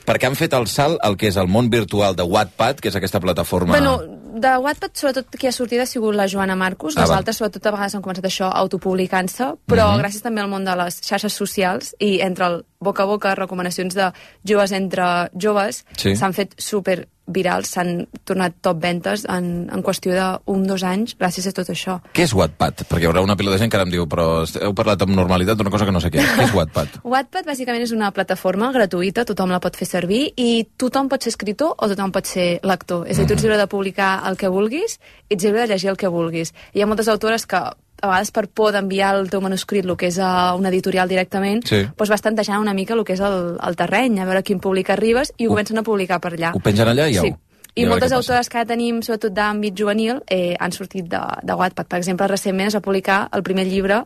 Perquè han fet el salt al que és el món virtual de Wattpad, que és aquesta plataforma... Bueno, de Wattpad, sobretot, qui ha sortit ha sigut la Joana Marcús. Les ah, altres, sobretot, a vegades han començat això autopublicant-se, però uh -huh. gràcies també al món de les xarxes socials i entre el boca a boca, recomanacions de joves entre joves, sí. s'han fet super virals, s'han tornat top ventes en, en qüestió d'un, dos anys, gràcies a tot això. Què és Wattpad? Perquè hi haurà una pila de gent que ara em diu, però heu parlat amb normalitat d'una cosa que no sé què. Què és Wattpad? Wattpad, bàsicament, és una plataforma gratuïta, tothom la pot fer servir, i tothom pot ser escriptor o tothom pot ser lector. És a dir, tu ets lliure de publicar el que vulguis i ets lliure de llegir el que vulguis. Hi ha moltes autores que a vegades per por d'enviar el teu manuscrit, el que és a una editorial directament, sí. doncs vas tantejant una mica el que és el, el terreny, a veure quin públic arribes, i ho, ho comencen a publicar per allà. Ho pengen allà i sí. au. I moltes autores que ara tenim, sobretot d'àmbit juvenil, eh, han sortit de, de Wattpad. Per exemple, recentment es va publicar el primer llibre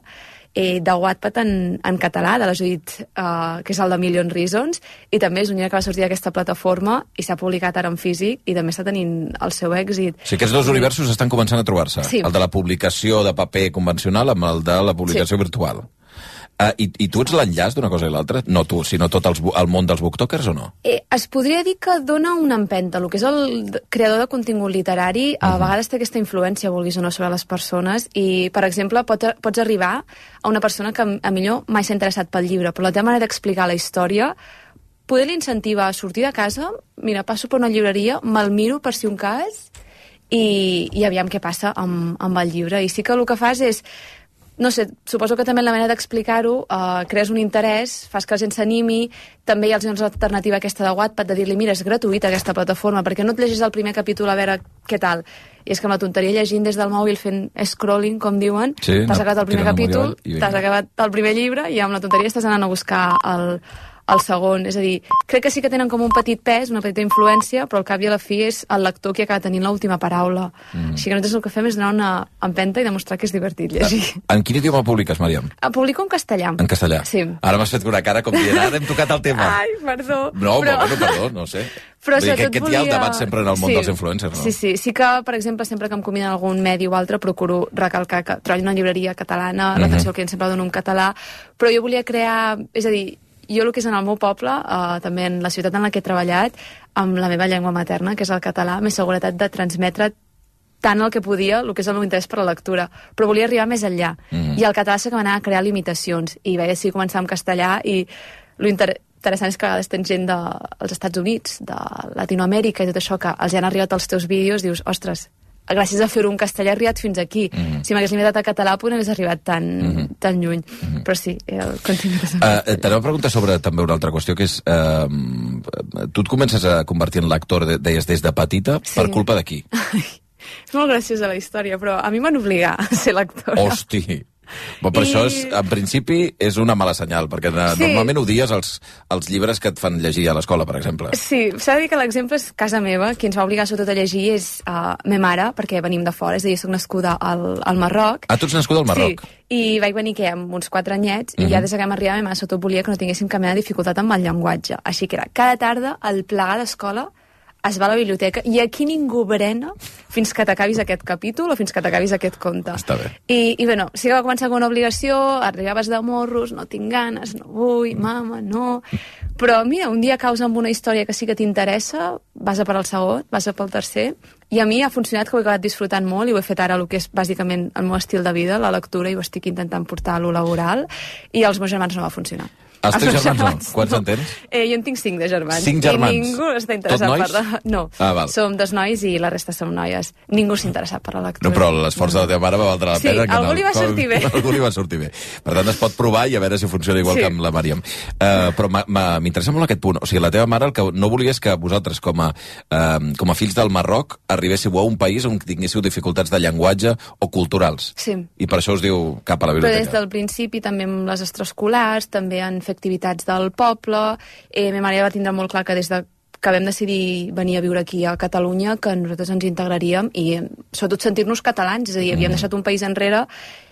eh, de Wattpad en, en català, de la Judit, eh, que és el de Million Reasons, i també és un llibre que va sortir d'aquesta plataforma i s'ha publicat ara en físic i també està tenint el seu èxit. O sigui, aquests dos universos estan començant a trobar-se. Sí. El de la publicació de paper convencional amb el de la publicació sí. virtual. Uh, i, I tu ets l'enllaç d'una cosa i l'altra? No tu, sinó tot els, el món dels booktokers o no? Eh, es podria dir que dona una empenta. El que és el creador de contingut literari a uh-huh. vegades té aquesta influència, vulguis o no, sobre les persones i, per exemple, pot, pots arribar a una persona que a millor mai s'ha interessat pel llibre, però la teva manera d'explicar la història poder l'incentiva a sortir de casa, mira, passo per una llibreria, me'l miro per si un cas i, i aviam què passa amb, amb el llibre. I sí que el que fas és, no sé, suposo que també en la manera d'explicar-ho uh, crees un interès, fas que la gent s'animi, també hi ha l'alternativa aquesta de Wattpad de dir-li, mira, és gratuïta aquesta plataforma, perquè no et llegis el primer capítol a veure què tal. I és que amb la tonteria llegint des del mòbil fent scrolling, com diuen, sí, t'has acabat el primer capítol, t'has acabat el primer llibre i amb la tonteria estàs anant a buscar el... el segon, és a dir, crec que sí que tenen com un petit pes, una petita influència, però al cap i a la fi és el lector qui acaba tenint l'última paraula. Mm. Així que nosaltres el que fem és donar una empenta i demostrar que és divertit llegir. En quin idioma publiques, Màriam? Publico en castellà. En castellà? Sí. Ara m'has fet una cara com dient, ara hem tocat el tema. Ai, perdó. No, però... bueno, perdó, no sé. Però Vull dir que aquest volia... hi ha el debat sempre en el món sí. dels influencers, no? Sí, sí. Sí que, per exemple, sempre que em conviden a algun medi o altre, procuro recalcar que treballo en una llibreria catalana, mm-hmm. l'atenció al client sempre la dono en català, però jo volia crear... És a dir, jo el que és en el meu poble, eh, també en la ciutat en la que he treballat, amb la meva llengua materna, que és el català, m'he seguretat de transmetre tant el que podia, el que és el meu interès per la lectura, però volia arribar més enllà. Mm. I el català sí que m'anava a crear limitacions, i vaig decidir començar amb castellà, i lo inter interessant és que a vegades tens gent dels Estats Units, de Latinoamèrica i tot això, que els han arribat els teus vídeos, dius, ostres, gràcies a fer-ho en castellà he arribat fins aquí. Mm-hmm. Si m'hagués limitat a català, potser no hagués arribat tan, mm-hmm. tan lluny. Mm-hmm. Però sí, el contingut és... Uh, T'aneu a preguntar sobre també una altra qüestió, que és... Uh, tu et comences a convertir en lector, de, deies, des de petita, sí. Per culpa de qui? És molt graciosa la història, però a mi m'han obligat a ser lectora. Hosti! Bon, per I... això, és, en principi, és una mala senyal, perquè sí. Normalment odies els, els llibres que et fan llegir a l'escola, per exemple. Sí, s'ha de dir que l'exemple és casa meva. Qui ens va obligar sobretot a llegir és uh, me mare, perquè venim de fora, és a dir, soc nascuda al, al Marroc. Ah, tu ets nascuda al Marroc? Sí, i vaig venir què, amb uns quatre anyets, uh-huh. i ja des que vam arribar, ma mare sobretot volia que no tinguéssim cap mena de dificultat amb el llenguatge. Així que era, cada tarda, al plegar d'escola, es va a la biblioteca i aquí ningú berena fins que t'acabis aquest capítol o fins que t'acabis aquest conte. Està bé. I, i bueno, sí que va començar com una obligació, arribaves de morros, no tinc ganes, no vull, mama, no... Però mira, un dia caus amb una història que sí que t'interessa, vas a per al segon, vas a pel tercer, i a mi ha funcionat, que ho he acabat disfrutant molt i ho he fet ara el que és bàsicament el meu estil de vida, la lectura, i ho estic intentant portar a lo laboral, i als meus germans no va funcionar. Els teus germans, germans no? Quants no. en tens? Eh, jo en tinc cinc de germans. Cinc germans? I ningú està interessat per la... No, ah, val. Som dos nois i la resta som noies. Ningú s'ha interessat per la lectura. No, però l'esforç de la teva mare va valdre la sí, pena. Sí, algú no, li va com, sortir bé. Algú li va sortir bé. Per tant, es pot provar i a veure si funciona igual sí. que amb la Màriam. Uh, però m'interessa molt aquest punt. O sigui, la teva mare el que no volia és que vosaltres, com a, uh, com a fills del Marroc, arribéssiu a un país on tinguéssiu dificultats de llenguatge o culturals. Sí. I per això us diu cap a la biblioteca. Però des del principi, també amb les extraescolars, també han fet activitats del poble. Eh, ma mare va tindre molt clar que des de que vam decidir venir a viure aquí a Catalunya, que nosaltres ens integraríem i sobretot sentir-nos catalans, és a dir, havíem mm. deixat un país enrere,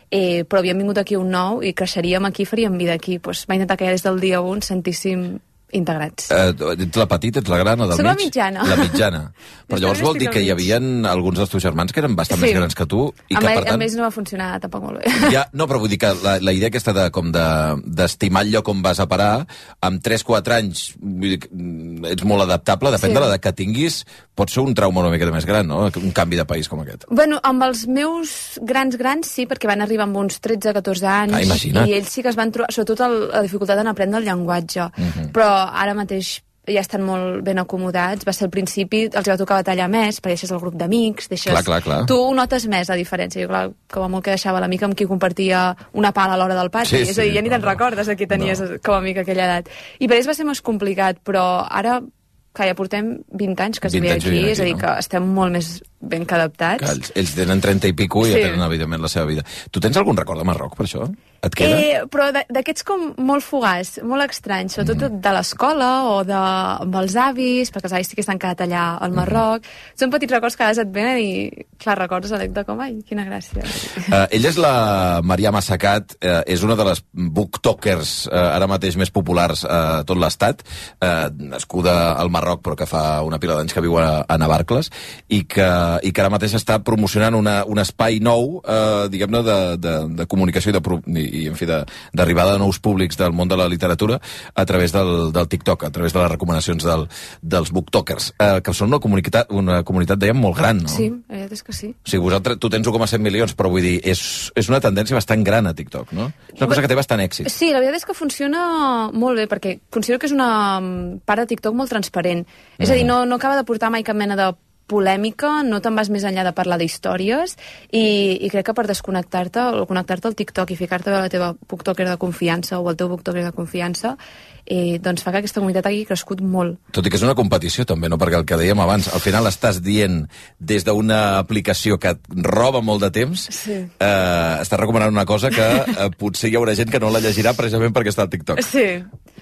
eh, però havíem vingut aquí un nou i creixeríem aquí, faríem vida aquí. Pues, va intentar que ja des del dia un sentíssim integrats. Uh, ets la petita, ets la gran o del Soc mig? la mitjana. La mitjana. Però llavors vol dir que hi havia alguns dels teus germans que eren bastant sí. més grans que tu i amb que, ell, per tant... Amb ells no va funcionar tampoc molt bé. Ja, no, però vull dir que la, la idea aquesta de, com de, d'estimar el lloc on vas a parar, amb tres quatre anys vull dir, ets molt adaptable, depèn sí. de l'edat que tinguis, pot ser un trauma una miqueta més gran, no? Un canvi de país com aquest. Bueno, amb els meus grans grans sí, perquè van arribar amb uns tretze catorze anys, ah, i ells sí que es van trobar, sobretot el, la dificultat en aprendre el llenguatge, uh-huh. però ara mateix ja estan molt ben acomodats. Va ser al principi, els va tocar batallar més, perquè deixes el grup d'amics, deixes... Clar, clar, clar. Tu ho notes més, la diferència. Jo, clar, com a molt que deixava l'amic amb qui compartia una pala a l'hora del pati. Sí, és a dir, sí, ja ni no, te'n recordes a qui tenies no. com a amic a aquella edat. I per ells va ser més complicat, però ara, que ja portem vint anys que es ve aquí, aquí, és a dir, no? Que estem molt més ben que adaptats. Que ells, ells tenen trenta i pico i sí. ja tenen, evidentment, la seva vida. Tu tens algun record de Marroc, per això? Et queda? Eh, però d'aquests com molt fugaç, molt estranys, sobretot mm. de l'escola o de, amb els avis, perquè els avis sí que estan quedat allà al Marroc. Mm. Són petits records que a vegades et venen i, clar, recordes l'anècdota com, ai, quina gràcia. Uh, ella és la Mariam Assacat, uh, és una de les booktokers uh, ara mateix més populars a uh, tot l'estat, uh, nascuda al Marroc però que fa una pila d'anys que viu a, a Navarcles, i que i que ara mateix està promocionant una, un espai nou, eh, diguem-ne, de, de, de comunicació i, de, i, i en fi, d'arribada de, de nous públics del món de la literatura a través del, del TikTok, a través de les recomanacions del, dels booktokers, eh, que són una comunitat, una comunitat, dèiem, molt gran, no? Sí, la veritat és que sí. O sigui, vosaltres, tu tens un coma set milions, però vull dir, és, és una tendència bastant gran a TikTok, no? És una cosa que té bastant èxit. Sí, la veritat és que funciona molt bé, perquè considero que és una part de TikTok molt transparent. És a dir, no, no acaba de portar mai cap mena de polèmica, no te'n vas més enllà de parlar d'històries i, i crec que per desconnectar-te o connectar-te al TikTok i ficar-te a la teva booktoker de confiança o al teu booktoker de confiança eh, doncs fa que aquesta comunitat hagi crescut molt. Tot i que és una competició també, no? Perquè el que dèiem abans, al final estàs dient des d'una aplicació que et roba molt de temps, sí. eh, estàs recomanant una cosa que eh, potser hi haurà gent que no la llegirà precisament perquè està al TikTok. Sí.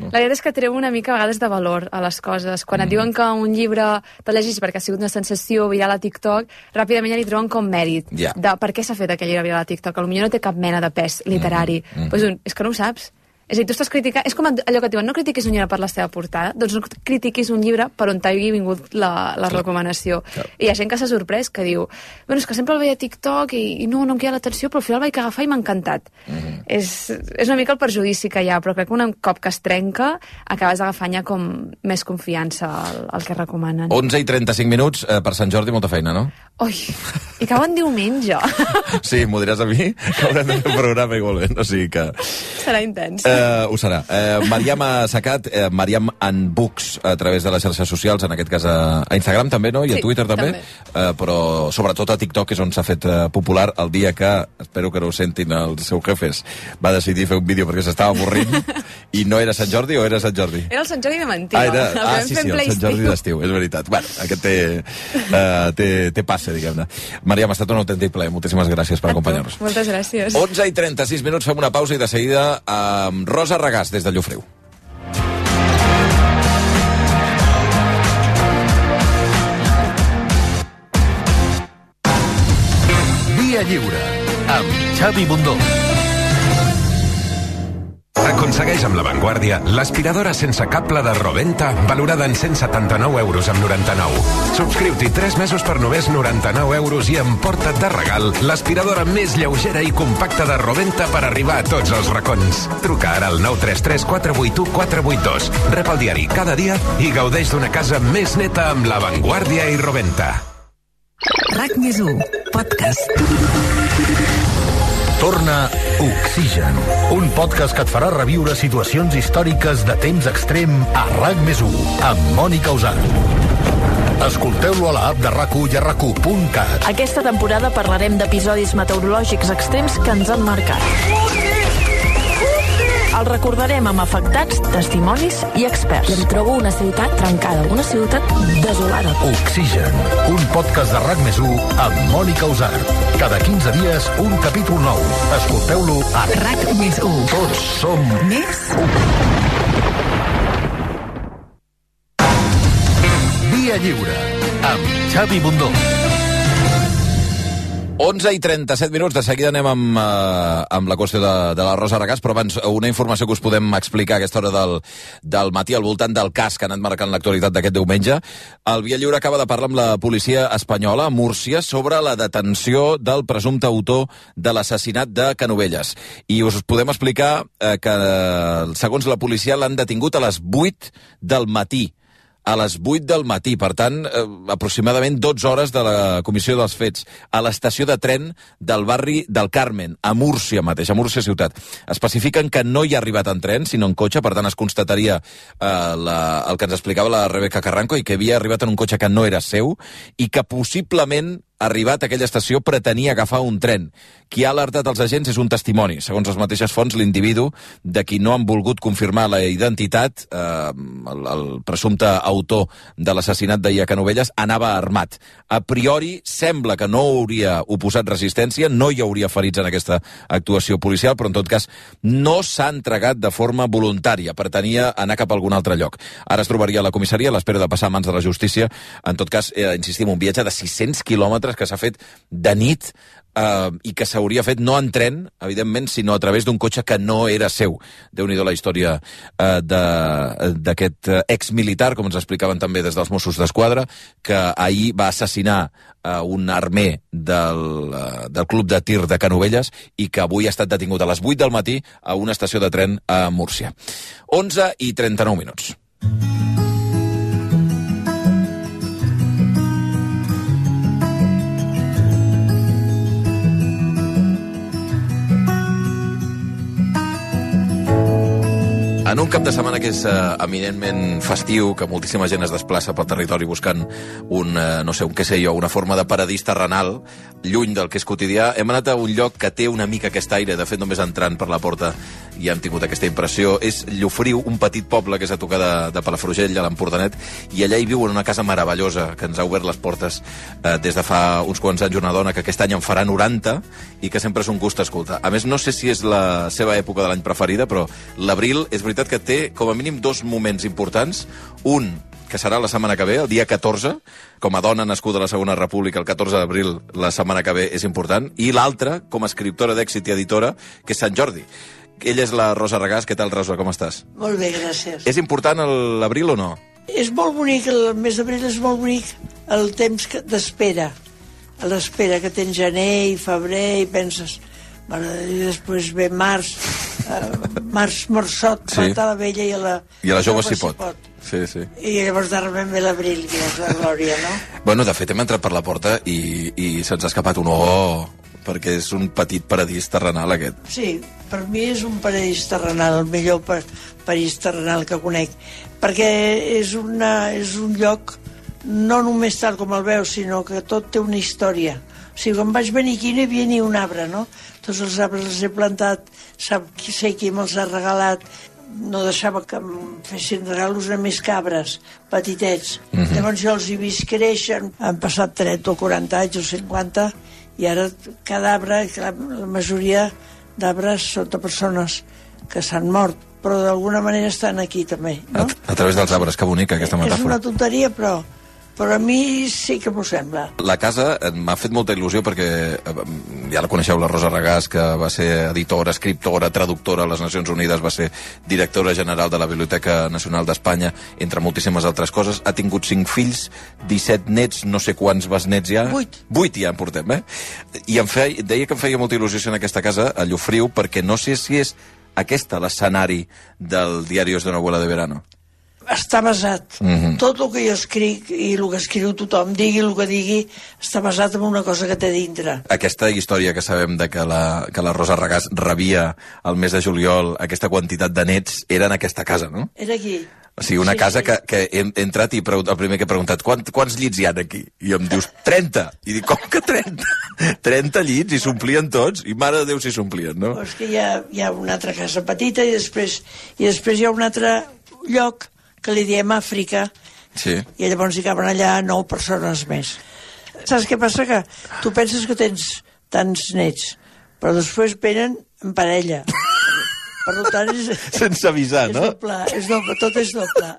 No? La veritat és que treu una mica a vegades de valor a les coses. Quan mm. et diuen que un llibre te'l llegis perquè ha sigut una sensació viral a TikTok, ràpidament ja li treuen com mèrit yeah. de per què s'ha fet aquell llibre viral a TikTok. Potser no té cap mena de pes literari. Mm. Mm. Pues, és que no ho saps. És a dir, tu estàs criticant... És com allò que et diuen, no critiquis un llibre per la seva portada, doncs no critiquis un llibre per on t'hagi vingut la, la recomanació. Clar. I hi ha gent que s'ha sorprès, que diu, bueno, és que sempre el veia a TikTok i, i no, no em queda l'atenció, però al final el vaig agafar i m'ha encantat. Mm-hmm. és, és una mica el perjudici que hi ha, però crec que un cop que es trenca acabes agafant ja com més confiança al, al que recomanen. onze i trenta-cinc minuts, eh, per Sant Jordi, molta feina, no? Ui, i cau en diumenge. Sí, m'ho diràs a mi, que haurem de fer un programa igualment, o sigui que... Serà intens. Eh, ho serà. Eh, Mariam ha sacat eh, Mariam and Books a través de les xarxes socials, en aquest cas a, a Instagram també, no? I sí, a Twitter també, també. Eh, però sobretot a TikTok és on s'ha fet eh, popular el dia que, espero que no ho sentin els seus jefes, va decidir fer un vídeo perquè s'estava avorrint i no era Sant Jordi o era Sant Jordi? Era el Sant Jordi de mentida. Ah, era... ah sí, sí, el Sant Jordi d'estiu, és veritat. Bueno, aquest té, uh, té, té passe, diguem-ne. Mariam, ha estat un autèntic plaer. Moltíssimes gràcies per acompanyar-nos. Moltes gràcies. onze i trenta-sis minuts, fem una pausa i de seguida amb Rosa Regàs, des de Llofriu. Via Lliure, amb Xavi Bundó. Aconsegueix amb La Vanguardia l'aspiradora sense cable de Roventa valorada en cent setanta-nou euros amb noranta-nou. Subscriu-t'hi tres mesos per només noranta-nou euros i emporta't de regal l'aspiradora més lleugera i compacta de Roventa per arribar a tots els racons. Truca ara al nou tres tres quatre vuit u quatre vuit dos. Rep el diari cada dia i gaudeix d'una casa més neta amb La Vanguardia i Roventa. RAC més u, podcast. Torna Oxigen, un podcast que et farà reviure situacions històriques de temps extrem a RAC més u, amb Mònica Usar. Escolteu-lo a l'app de RAC u i a rac u punt cat. Aquesta temporada parlarem d'episodis meteorològics extrems que ens han marcat. El recordarem amb afectats, testimonis i experts. I em trobo una ciutat trencada, una ciutat desolada. Oxigen, un podcast de RAC més u amb Mònica Usar. Cada quinze dies, un capítol nou. Escolteu-lo a RAC més u. Tots som més u. Via Lliure, amb Xavi Bundó. onze i trenta-set minuts, de seguida anem amb, uh, amb la qüestió de, de la Rosa Regàs, però abans una informació que us podem explicar a aquesta hora del, del matí al voltant del cas que ha anat marcant l'actualitat d'aquest diumenge. El Via Lliure acaba de parlar amb la policia espanyola a Múrcia sobre la detenció del presumpte autor de l'assassinat de Canovelles. I us podem explicar uh, que, uh, segons la policia, l'han detingut a les vuit del matí. A les vuit del matí, per tant, eh, aproximadament dotze hores de la comissió dels fets, a l'estació de tren del barri del Carmen, a Múrcia mateix, a Múrcia ciutat. Especifiquen que no hi ha arribat en tren, sinó en cotxe, per tant es constataria eh, la, el que ens explicava la Rebeca Carranco, i que havia arribat en un cotxe que no era seu, i que possiblement arribat a aquella estació, pretenia agafar un tren. Qui ha alertat els agents és un testimoni. Segons les mateixes fonts, l'individu de qui no han volgut confirmar la identitat, eh, el, el presumpte autor de l'assassinat d'ahir a Canovelles, anava armat. A priori, sembla que no hauria oposat resistència, no hi hauria ferits en aquesta actuació policial, però en tot cas no s'ha entregat de forma voluntària, pretenia anar cap a algun altre lloc. Ara es trobaria a la comissaria a l'espera de passar a mans de la justícia. En tot cas, eh, insistim, un viatge de sis-cents quilòmetres divendres, que s'ha fet de nit, eh, i que s'hauria fet no en tren, evidentment, sinó a través d'un cotxe que no era seu. Déu-n'hi-do la història eh, d'aquest eh, exmilitar, com ens explicaven també des dels Mossos d'Esquadra, que ahir va assassinar eh, un armer del, eh, del club de tir de Canovelles i que avui ha estat detingut a les vuit del matí a una estació de tren a Múrcia. onze i trenta-nou minuts. En un cap de setmana que és uh, eminentment festiu, que moltíssima gent es desplaça pel territori buscant un, uh, no sé, un què sé jo, una forma de paradís terrenal, lluny del que és quotidià, hem anat a un lloc que té una mica aquest aire. De fet, només entrant per la porta i hem tingut aquesta impressió. És Llofriu, un petit poble que és a tocar de, de Palafrugell, a l'Empordanet, i allà hi viu en una casa meravellosa que ens ha obert les portes uh, des de fa uns quants anys, una dona que aquest any en farà noranta i que sempre és un gust escoltar. A més, no sé si és la seva època de l'any preferida, però l'abril és veritat que té com a mínim dos moments importants. Un, que serà la setmana que ve, el dia catorze, com a dona nascuda a la Segona República, el catorze d'abril, la setmana que ve, és important, i l'altre, com a escriptora d'èxit i editora, que és Sant Jordi. Ella és la Rosa Regàs. Què tal, Rosa, com estàs? Molt bé, gràcies. És important l'abril o no? És molt bonic, el mes d'abril és molt bonic, el temps d'espera, a l'espera que tens gener i febrer i penses... Bueno, i després ve març, eh, març morsot, sí. Mata la vella i a la... I a la jove s'hi pot. pot. Sí, sí. I llavors de repente ve l'abril, que és la glòria, no? Bueno, de fet, hem entrat per la porta i, i se'ns ha escapat un oh, perquè és un petit paradís terrenal, aquest. Sí, per mi és un paradís terrenal, el millor pa paradís terrenal que conec, perquè és, una, és un lloc no només tal com el veus, sinó que tot té una història. O sigui, quan vaig venir aquí no hi havia ni un arbre, no? Tots els arbres els he plantat, sap qui sé qui me'ls ha regalat, no deixava que em fessin regalos a més cabres, petitets. Mm-hmm. Llavors jo els he vist créixer, han passat trenta o quaranta anys o cinquanta, i ara cada arbre, la majoria d'arbres són de persones que s'han mort, però d'alguna manera estan aquí també, no? A, a través dels arbres, que bonica aquesta metàfora. És una tonteria, però... però a mi sí que m'ho sembla. La casa m'ha fet molta il·lusió perquè ja la coneixeu, la Rosa Regàs, que va ser editora, escriptora, traductora a les Nacions Unides, va ser directora general de la Biblioteca Nacional d'Espanya, entre moltíssimes altres coses. Ha tingut cinc fills, disset nets, no sé quants besnets ja. Vuit. Vuit ja en portem, eh? I em feia, deia que em feia molta il·lusió en aquesta casa, a Llofriu, perquè no sé si és aquesta l'escenari del Diarios de una abuela de verano. Està basat. Mm-hmm. Tot el que jo escric i el que escriu tothom, digui el que digui, està basat en una cosa que té dintre. Aquesta història que sabem de que la, que la Rosa Regàs rebia al mes de juliol aquesta quantitat de nets, era en aquesta casa, no? Era aquí. O sigui, una sí, casa sí. que, que he, he entrat i el primer que he preguntat, Quant, quants llits hi ha aquí? I em dius, trenta! I dic, com que trenta? trenta llits, i s'omplien tots, i mare de Déu si s'omplien, no? Però és que hi ha, hi ha una altra casa petita i després, i després hi ha un altre lloc que li diem Àfrica, sí. I llavors hi caben allà nou persones més. Saps què passa? Que tu penses que tens tants nets, però després venen en parella. Per tant, és... Sense avisar, és no? Doble, és doble, tot és doble.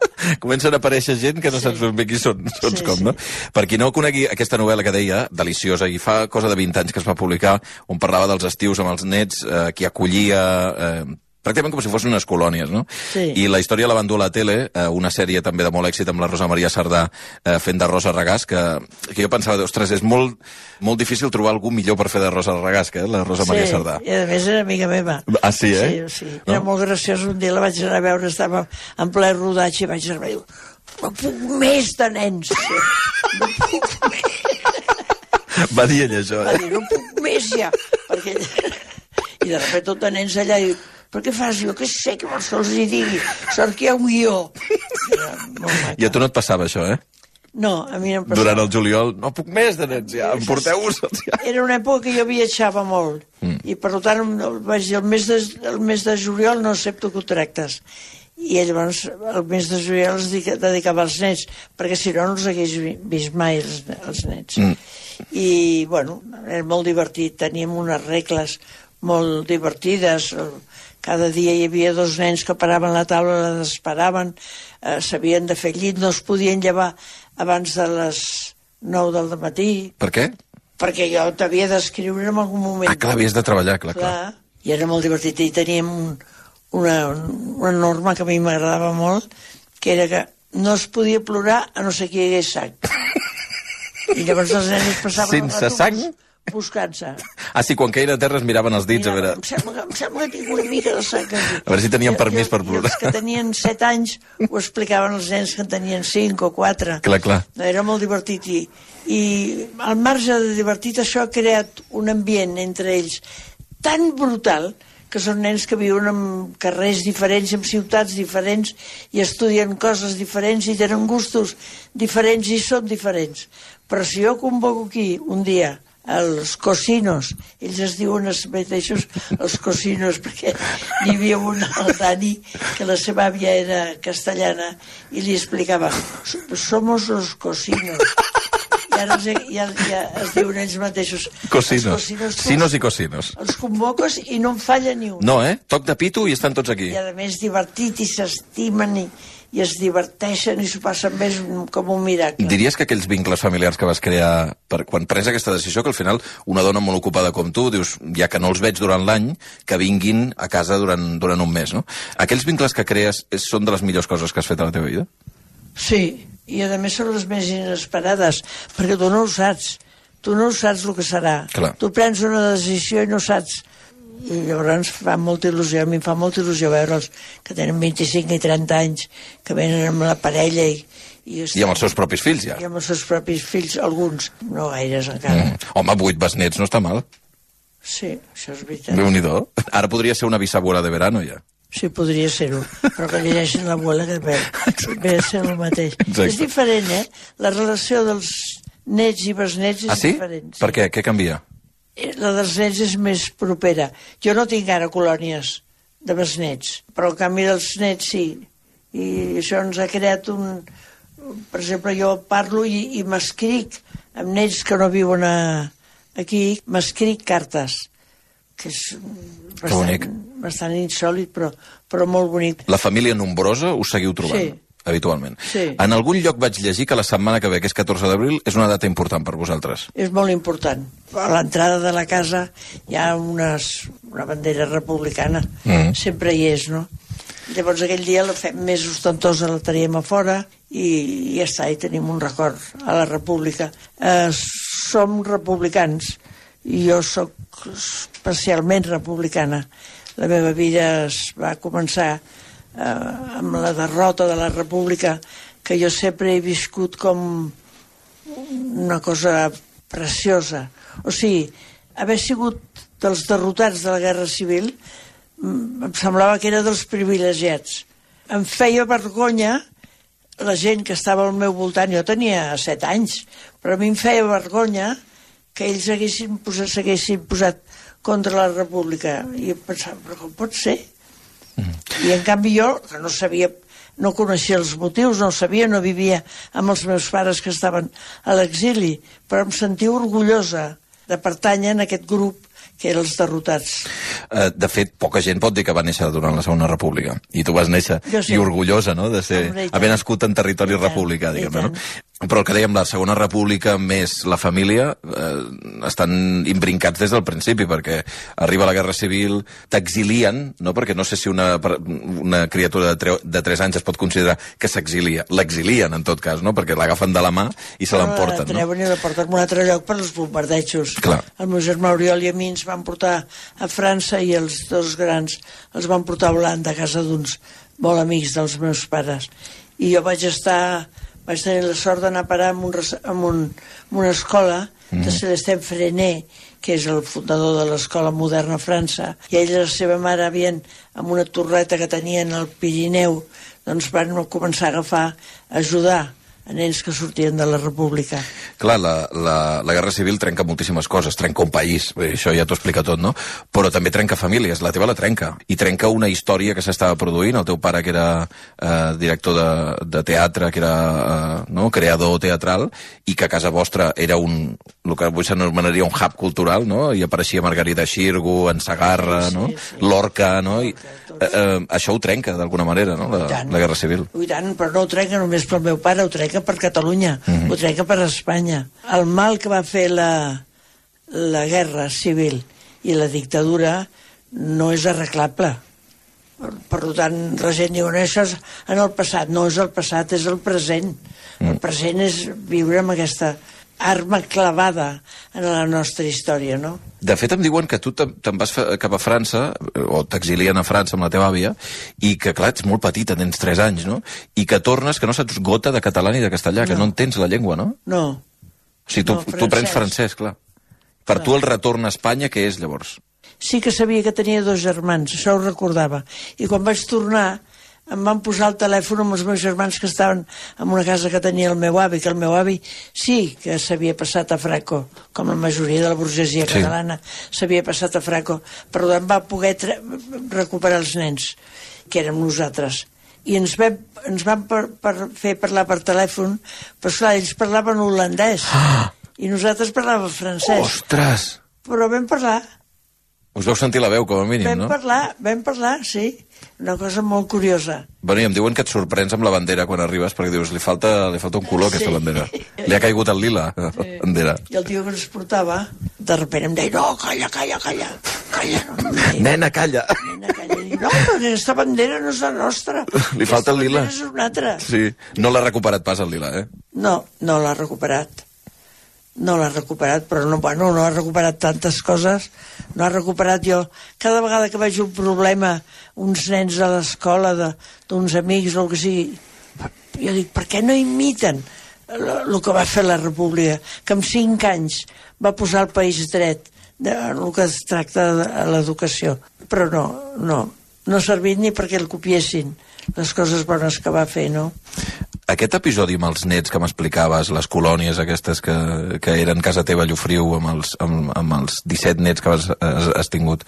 Comencen a aparèixer gent que no sí. saps ben bé qui són, són sí, com, sí. no? Per qui no conegui aquesta novel·la que deia, deliciosa, i fa cosa de vint anys que es va publicar, on parlava dels estius amb els nets, eh, qui acollia... Eh, pràcticament com si fossin unes colònies, no? Sí. I la història la van dur a la tele, eh, una sèrie també de molt èxit amb la Rosa Maria Sardà eh, fent de Rosa Regàs, que, que jo pensava, ostres, és molt, molt difícil trobar algú millor per fer de Rosa Regàs, que la Rosa sí, Maria Sardà. I a més era amiga meva. Ah, sí, eh? Sí, sí. Era no? molt graciós. Un dia la vaig anar a veure, estava en ple rodatge i vaig anar a veure, no puc més de nens. No puc més. Va dir ella això, eh? Va dir, no puc més ja. Perquè... I de sobte tot de nens allà i però què fas? Jo què sé, que vols que els hi digui? Sort que hi ha un guió. I a tu no et passava això, eh? No, a mi no em passava. Durant el juliol, no puc més de nens, ja, em porteu-vos. Ja. Era una època que jo viatjava molt, mm. i per tant, vaig dir, el mes, de, el mes de juliol no accepto contractes. I llavors, el mes de juliol els dedicava als nets, perquè si no, no els hagués vist mai els, els nets. Mm. I, bueno, era molt divertit, teníem unes regles molt divertides. Cada dia hi havia dos nens que paraven la taula, la desesperaven, eh, s'havien de fer llit, no es podien llevar abans de les nou del matí. Per què? perquè jo t'havia d'escriure en algun moment. Ah, clar, havies de treballar, clar, clar. clar. I era molt divertit. I teníem un, una, una norma que a mi m'agradava molt, que era que no es podia plorar a no ser que hi hagués sang. I llavors els nens passaven sense sang? buscant-se. Ah, sí, quan caien a terra es miraven els dits. Mira, a veure... em, sembla, em sembla que tinc una mica de sang. Aquí. A veure si tenien permís per plorar. I els que tenien set anys ho explicaven als nens que en tenien cinc o quatre. Clar, clar. Era molt divertit. I, i al marge de divertit, això ha creat un ambient entre ells tan brutal que són nens que viuen en carrers diferents, en ciutats diferents, i estudien coses diferents, i tenen gustos diferents, i són diferents. Però si jo convoco aquí un dia els cocinos, ells es diuen els mateixos els cocinos, perquè n'hi havia un, el Dani, que la seva àvia era castellana, i li explicava, somos los cocinos. I ara ja, ja, ja es diuen ells mateixos. Cocinos. cocinos Sinos i cocinos. Els convoques i no en falla ni un. No, eh? Toc de pito i estan tots aquí. I a més divertit, i s'estimen, i, i es diverteixen, i s'ho passen més com un miracle. Diries que aquells vincles familiars que vas crear per, quan prens aquesta decisió, que al final una dona molt ocupada com tu, dius, ja que no els veig durant l'any, que vinguin a casa durant, durant un mes, no? Aquells vincles que crees són de les millors coses que has fet a la teva vida? Sí, i a més són les més inesperades, perquè tu no ho saps, tu no ho saps el que serà. Clar. Tu prens una decisió i no saps, i llavors fa molta il·lusió, a mi em fa molta il·lusió veure'ls que tenen vint-i-cinc i trenta anys, que venen amb la parella i... I, I amb els seus propis fills, ja. I amb els seus propis fills, alguns, no gaires encara. Mm. Home, vuit besnets no està mal. Sí, això és veritat. Déu-n'hi-do. Ara podria ser una bisabuela de verano, ja. Sí, podria ser-ho, però que llegeixin l'abuela, que ve, ve a ser el mateix. Exacte. És diferent, eh? La relació dels nets i besnets és ah, sí? diferent. Sí? Per què? Què canvia? La dels nets és més propera. Jo no tinc ara colònies de besnets, però en canvi dels nets sí. I això ens ha creat un... Per exemple, jo parlo i, i m'escric amb nets que no viuen a, aquí, m'escric cartes, que és bastant, bastant insòlid, però, però molt bonic. La família nombrosa us seguiu trobant? Sí. Habitualment. Sí. En algun lloc vaig llegir que la setmana que ve, que és catorze d'abril, és una data important per vosaltres. És molt important. A l'entrada de la casa hi ha unes, una bandera republicana. Mm. Sempre hi és, no? Llavors aquell dia la fem més ostentosa, la teníem a fora i, i ja està, i tenim un record a la república. Eh, som republicans i jo sóc especialment republicana. La meva vida es va començar eh, amb la derrota de la república, que jo sempre he viscut com una cosa preciosa. O sigui, haver sigut dels derrotats de la Guerra Civil em semblava que era dels privilegiats. Em feia vergonya la gent que estava al meu voltant. Jo tenia set anys, però a mi em feia vergonya que ells s'haguessin posat, s'haguessin posat contra la república. I em pensava, però com pot ser? Mm. I en canvi jo, que no sabia, no coneixia els motius, no sabia, no vivia amb els meus pares que estaven a l'exili, però em sentia orgullosa de pertànyer a aquest grup que eren els derrotats. De fet, poca gent pot dir que va néixer durant la Segona República. I tu vas néixer sí. i orgullosa, no?, de ser, haver nascut en territori republicà, diguem-ne, no? Però el que dèiem, la Segona República més la família eh, estan imbrincats des del principi, perquè arriba la Guerra Civil, t'exilien, no?, perquè no sé si una, una criatura de, tre, de tres anys es pot considerar que s'exilia. L'exilien, en tot cas, no?, perquè l'agafen de la mà i se l'emporten, no? La treuen i la porten a un altre lloc per als bombardejos. Clar. El meu germà Oriol i a mi ens van portar a França i els dos grans els van portar a Holanda, a casa d'uns molt amics dels meus pares. I jo vaig estar... vaig tenir la sort d'anar a parar en, un, en, un, en una escola mm. de Celestin Freinet, que és el fundador de l'escola moderna a França, i ell i la seva mare havien, amb una torreta que tenien al Pirineu, doncs van començar a agafar, a ajudar a nens que sortien de la república. Clar, la, la, la Guerra Civil trenca moltíssimes coses, trenca un país, bé, això ja t'ho explica tot, no? Però també trenca famílies, la teva la trenca, i trenca una història que s'estava produint, el teu pare que era eh, director de, de teatre, que era eh, no? creador teatral, i que a casa vostra era un, el que avui s'anomenaria un hub cultural, no? I apareixia Margarida Xirgu, en Sagarra, sí, no? Sí. L'Orca, no? I, eh, eh, això ho trenca d'alguna manera, no? La, la Guerra Civil. I tant, però no ho trenca només pel meu pare, ho trenca per Catalunya, mm-hmm. ho trenca per Espanya. El mal que va fer la, la guerra civil i la dictadura no és arreglable. Per tant, la gent diu, no, això és en el passat. No és el passat, és el present. El present és viure amb aquesta arma clavada en la nostra història, no? De fet, em diuen que tu te'n vas cap a França, o t'exilien a França amb la teva àvia, i que, clar, ets molt petita, tens tres anys, no? I que tornes, que no saps gota de català ni de castellà, no. Que no entens la llengua, no? No. O sigui, tu, no, tu prens francès, clar. Per clar. Tu el retorn a Espanya, què és, llavors? Sí que sabia que tenia dos germans, això ho recordava. I quan vaig tornar, em van posar el telèfon amb els meus germans que estaven en una casa que tenia el meu avi, que el meu avi sí que s'havia passat a Franco, com la majoria de la burgesia sí. catalana s'havia passat a Franco, però em va poder recuperar els nens, que érem nosaltres. I ens vam, ens van per, per fer parlar per telèfon, però esclar, ells parlaven holandès, ah! I nosaltres parlàvem francès. Ostres! Però vam parlar. Us vau sentir la veu, com a mínim, vam no? Vam parlar, vam parlar, sí. Una cosa molt curiosa. Bueno, i em diuen que et sorprens amb la bandera quan arribes, perquè dius, li falta, li falta un color, sí. Aquesta bandera. Li ha caigut el lila, la sí. bandera. I el tio que ens portava, de repente em deia, no, calla, calla, calla. Calla, no, no, nena, calla. Nena, calla. I, no, però aquesta bandera no és la nostra. Li falta el lila. És una altra. Sí, no l'ha recuperat pas el lila, eh? No, no l'ha recuperat. No l'ha recuperat, però no, bueno, no ha recuperat tantes coses. No ha recuperat jo. Cada vegada que veig un problema, uns nens a l'escola, d'uns amics o el que sigui, jo dic, per què no imiten el que va fer la República? Que amb cinc anys va posar el país dret en el que es tracta de l'educació. Però no, no. No ha servit ni perquè el copiessin les coses bones que va fer, no? Aquest episodi amb els nets que m'explicaves, les colònies aquestes que, que eren casa teva a Llofriu amb els, amb, amb els disset nets que has, has, has tingut,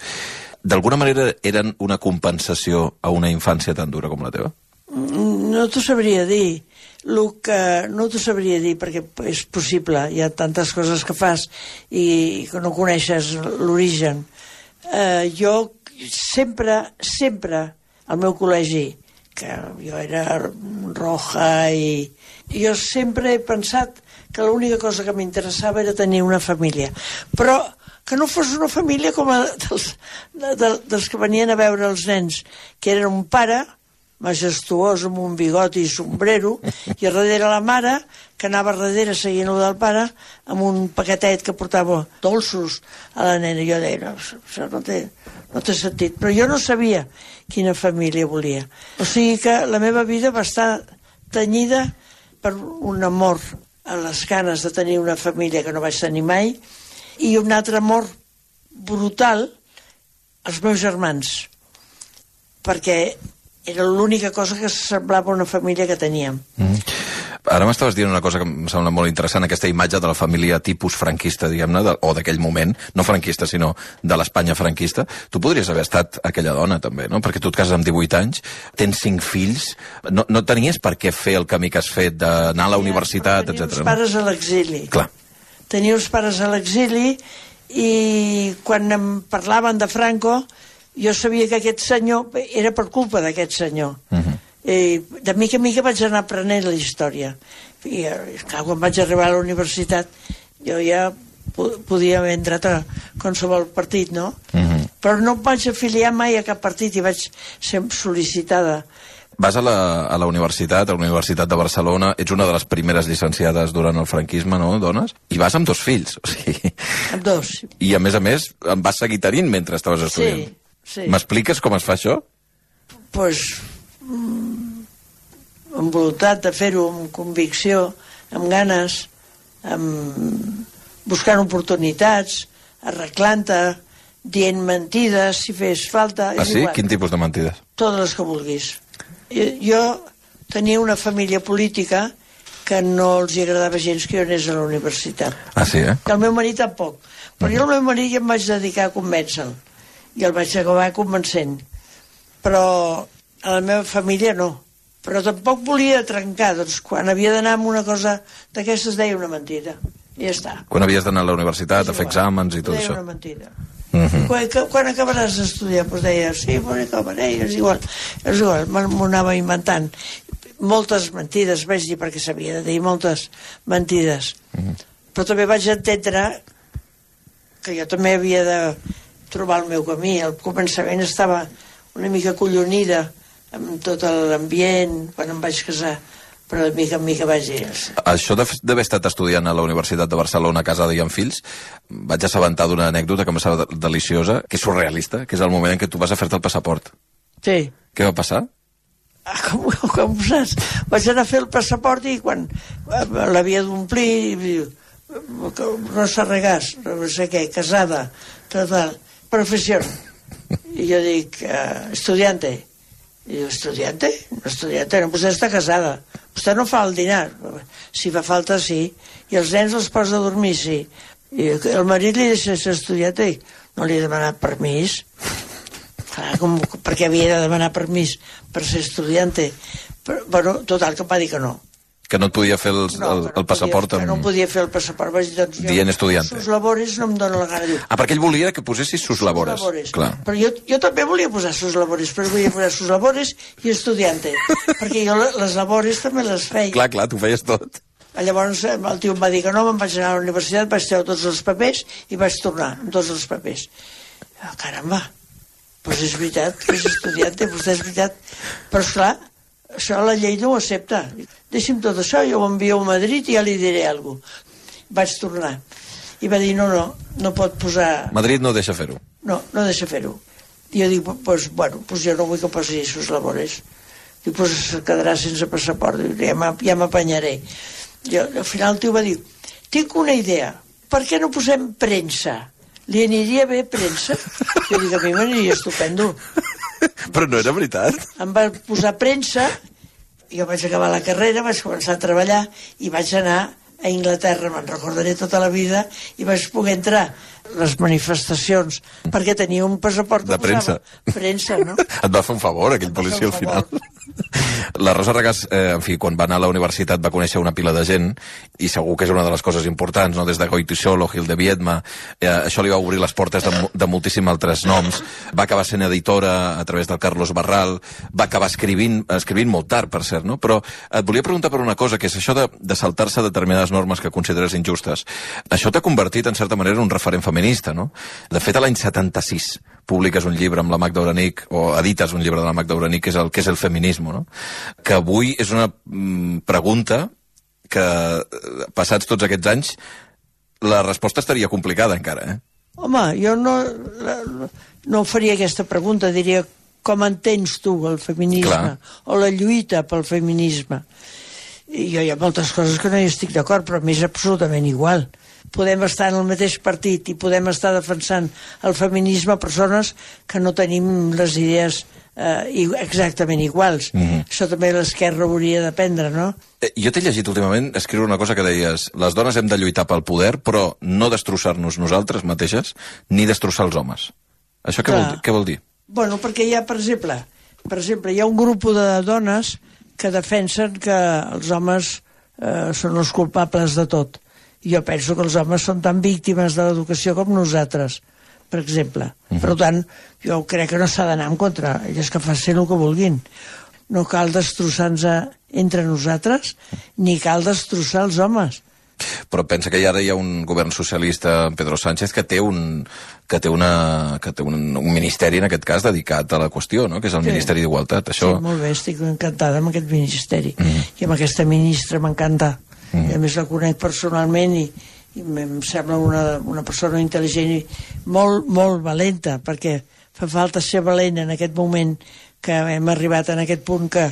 d'alguna manera eren una compensació a una infància tan dura com la teva? No t'ho sabria dir. Lo que no t'ho sabria dir perquè és possible, hi ha tantes coses que fas i que no coneixes l'origen. Eh, jo sempre, sempre al meu col·legi, que jo era roja i jo sempre he pensat que l'única cosa que m'interessava era tenir una família, però que no fos una família com a dels, de, dels que venien a veure els nens, que eren un pare majestuós amb un bigot i sombrero i a darrere la mare que anava a darrere seguint-lo del pare amb un paquetet que portava dolços a la nena. Jo deia, no, això no té, no té sentit, però jo no sabia quina família volia. O sigui que la meva vida va estar tenyida per un amor a les ganes de tenir una família que no vaig tenir mai i un altre amor brutal als meus germans, perquè era l'única cosa que semblava una família que teníem. Mm. Ara m'estaves dient una cosa que em sembla molt interessant, aquesta imatge de la família tipus franquista, diguem-ne, o d'aquell moment, no franquista, sinó de l'Espanya franquista. Tu podries haver estat aquella dona, també, no? Perquè tu et cases amb divuit anys, tens cinc fills, no, no tenies per què fer el camí que has fet, d'anar a la universitat, etcètera. Tenia els pares a l'exili. Clar. Tenia els pares a l'exili i quan em parlaven de Franco jo sabia que aquest senyor era per culpa d'aquest senyor. Uh-huh. I de mica en mica vaig anar aprenent la història. I clar, quan vaig arribar a la universitat jo ja podia haver entrat a qualsevol partit, no? Uh-huh. Però no em vaig afiliar mai a cap partit i vaig ser sol·licitada. Vas a la, a la universitat, a la Universitat de Barcelona, ets una de les primeres llicenciades durant el franquisme, no, dones? I vas amb dos fills, o sigui... Amb dos. I a més a més, em vas seguir tenint mentre estaves estudiant. Sí. Sí. M'expliques com es fa això? Pues, amb voluntat de fer-ho, amb convicció, amb ganes, amb buscant oportunitats, arreglant-te, dient mentides, si fes falta... Ah, sí? Igual. Quin tipus de mentides? Totes les que vulguis. Jo, jo tenia una família política que no els agradava gens que jo anés a la universitat. Ah, sí, eh? Que el meu marit tampoc. Però uh-huh. jo al meu marit ja em vaig dedicar a convèncer-lo. I el vaig acabar convencent. Però a la meva família no. Però tampoc volia trencar, doncs quan havia d'anar amb una cosa d'aquestes deia una mentida. I ja està. Quan havies d'anar a la universitat, a fer exàmens i tot deia això. Deia una mentida. Uh-huh. Quan, quan acabaràs d'estudiar? Doncs deia, sí, quan acabaré, és igual. És igual, m'ho anava inventant. Moltes mentides, vaig dir, perquè s'havia de dir moltes mentides. Uh-huh. Però també vaig entendre que jo també havia de trobar el meu camí. Al començament estava una mica collonida amb tot l'ambient quan em vaig casar, però de mica en mica vaig dir... Això d'haver estat estudiant a la Universitat de Barcelona casada i amb fills, vaig assabentar d'una anècdota que em sembla deliciosa, que és surrealista, que és el moment en què tu vas a fer-te el passaport. Sí. Què va passar? Ah, com, com ho saps? Vaig anar a fer el passaport i quan l'havia d'omplir, no s'arregàs, no sé què, casada, total, professió. I jo dic, uh, estudiante. I diu, estudiante? No, estudiante, no, vostè està casada. Vostè no fa el dinar. Si fa falta, sí. I els nens els posa a dormir, sí. I el marit li deixa ser estudiante. No li he demanat permís. Clar, com, perquè havia de demanar permís per ser estudiante. Però, bueno, total, que em va dir que no. Que no et podia fer el, no, el, el passaport podia, amb... Que no podia fer el passaport. Vaig dir, doncs, jo, dient estudiante. Sus labores no em dóna la gana. Diu, ah, perquè ell volia que posessis sus labores. Sus labores. Clar. Però jo, jo també volia posar sus labores, però volia posar sus labores i estudiante. Perquè jo les labores també les feia. Clar, clar, tu feies tot. Llavors el tio em va dir que no, me'n vaig anar a la universitat, vaig treure tots els papers i vaig tornar amb tots els papers. Oh, caramba, doncs és veritat que és estudiante, vostè és veritat. Però esclar, això la llei no ho accepta. Deixi'm tot això, jo ho envio a Madrid i ja li diré alguna cosa. Vaig tornar. I va dir, no, no, no pot posar... Madrid no deixa fer-ho. No, no deixa fer-ho. I jo dic, pues, bueno, pues jo no vull que posi sus labores. Dic, pues es quedarà sense passaport. Dic, ja m'apanyaré. Jo, al final el tio va dir, tinc una idea, per què no posem premsa? Li aniria bé premsa? Jo dic, a mi m'aniria estupendo. Però no era veritat. Em va posar premsa, jo vaig acabar la carrera, vaig començar a treballar i vaig anar a Inglaterra, me'n recordaré tota la vida, i vaig poder entrar a les manifestacions, perquè tenia un passaport de premsa. Premsa, no? Et va fer un favor, aquell policia al final. La Rosa Regàs, eh, en fi, quan va anar a la universitat va conèixer una pila de gent i segur que és una de les coses importants, no? Des de Goytisolo, Gil de Viedma, eh, això li va obrir les portes de, de moltíssims altres noms. Va acabar sent editora a través del Carlos Barral, va acabar escrivint, escrivint molt tard, per cert, no? Però et volia preguntar per una cosa, que és això de, de saltar-se determinades normes que consideres injustes. Això t'ha convertit, en certa manera, en un referent feminista, no? De fet, a l'any setanta-sis publiques un llibre amb la Magda Uranic, o edites un llibre de la Magda Uranic, que és el que és el feminisme, no? Que avui és una mm, pregunta que, passats tots aquests anys, la resposta estaria complicada encara, eh? Home, jo no, no faria aquesta pregunta, diria com entens tu el feminisme, clar, o la lluita pel feminisme. I jo hi ha moltes coses que no hi estic d'acord, però m'és absolutament igual. Podem estar en el mateix partit i podem estar defensant el feminisme a persones que no tenim les idees eh, exactament iguals. Mm-hmm. Això també l'esquerra hauria d'aprendre, no? Eh, jo t'he llegit últimament escriure una cosa que deies: les dones hem de lluitar pel poder, però no destrossar-nos nosaltres mateixes, ni destrossar els homes. Això què, vol, què vol dir? Bueno, perquè hi ha, per exemple, per exemple, hi ha un grup de dones que defensen que els homes eh, són els culpables de tot. Jo penso que els homes són tan víctimes de l'educació com nosaltres, per exemple. Uh-huh. Per tant, jo crec que no s'ha d'anar en contra. Elles que facin el que vulguin. No cal destrossar-nos entre nosaltres, ni cal destrossar els homes. Però pensa que ara hi ha un govern socialista, Pedro Sánchez, que té un, que té una, que té un, un ministeri, en aquest cas, dedicat a la qüestió, no? Que és el sí. Ministeri d'Igualtat. Això... Sí, molt bé, estic encantada amb aquest ministeri. Mm. I amb aquesta ministra m'encanta. Mm. I a més la conec personalment i, i em sembla una, una persona intel·ligent i molt, molt valenta, perquè fa falta ser valent en aquest moment que hem arribat en aquest punt que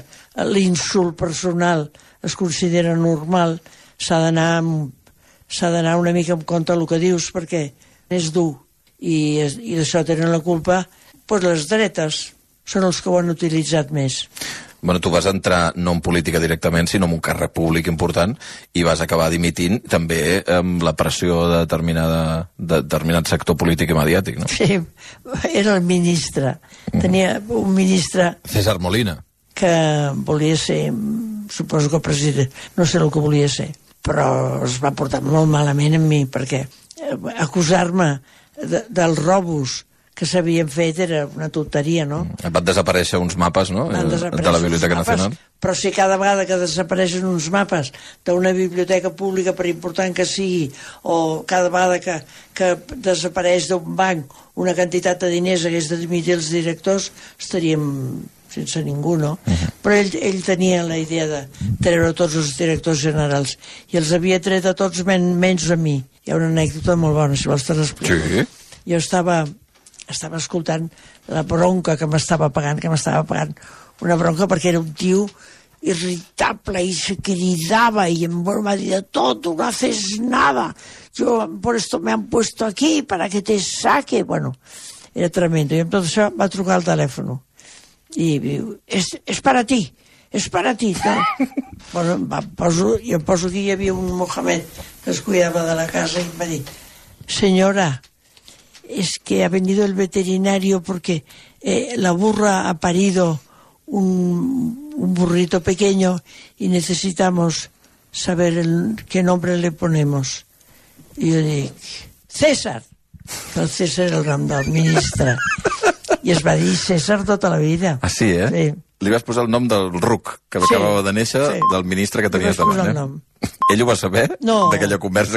l'insult personal es considera normal. S'ha d'anar s'ha d'anar una mica en compte el que dius, perquè és dur i, i d'això tenen la culpa doncs les dretes són els que ho han utilitzat més. Bueno, tu vas entrar no en política directament, sinó en un càrrec públic important i vas acabar dimitint també amb la pressió de, determinada, de determinat sector polític i mediàtic, no? Sí, era el ministre. Tenia un ministre... César Molina. Que volia ser, suposo que president, no sé el que volia ser, però es va portar molt malament amb mi, perquè acusar-me de, dels robos que s'havien fet era una tonteria, no? Van desaparèixer uns mapes, no?, Van de la Biblioteca Nacional. Però si cada vegada que desapareixen uns mapes d'una biblioteca pública, per important que sigui, o cada vegada que, que desapareix d'un banc una quantitat de diners hagués de dimitir els directors, estaríem sense ningú, no? Uh-huh. Però ell, ell tenia la idea de treure tots els directors generals i els havia tret a tots men, menys a mi. Hi ha una anècdota molt bona, si vols te l'explico. Sí. Jo estava, estava escoltant la bronca que m'estava pagant, que m'estava pagant una bronca perquè era un tio irritable i se cridava y en broma de todo, no haces nada. Yo por esto me han puesto aquí para que te saque. Bueno, era tremendo. I amb tot això va trucar al telèfon i diu, és, és per a ti, és per a ti. No? Bueno, va, poso, i em poso aquí, hi havia un Mohamed que es cuidava de la casa i em va dir, señora, es que ha venido el veterinario porque eh, la burra ha parido un, un burrito pequeño y necesitamos saber el, qué nombre le ponemos. I jo dic, César. El César era el nom del ministre. I es va dir César tota la vida. Ah, sí, eh? Sí. Li vas posar el nom del ruc, que Sí, acabava de néixer, sí. del ministre que Li tenies vas posar davant, el eh? nom. Ell ho va saber, No. d'aquella conversa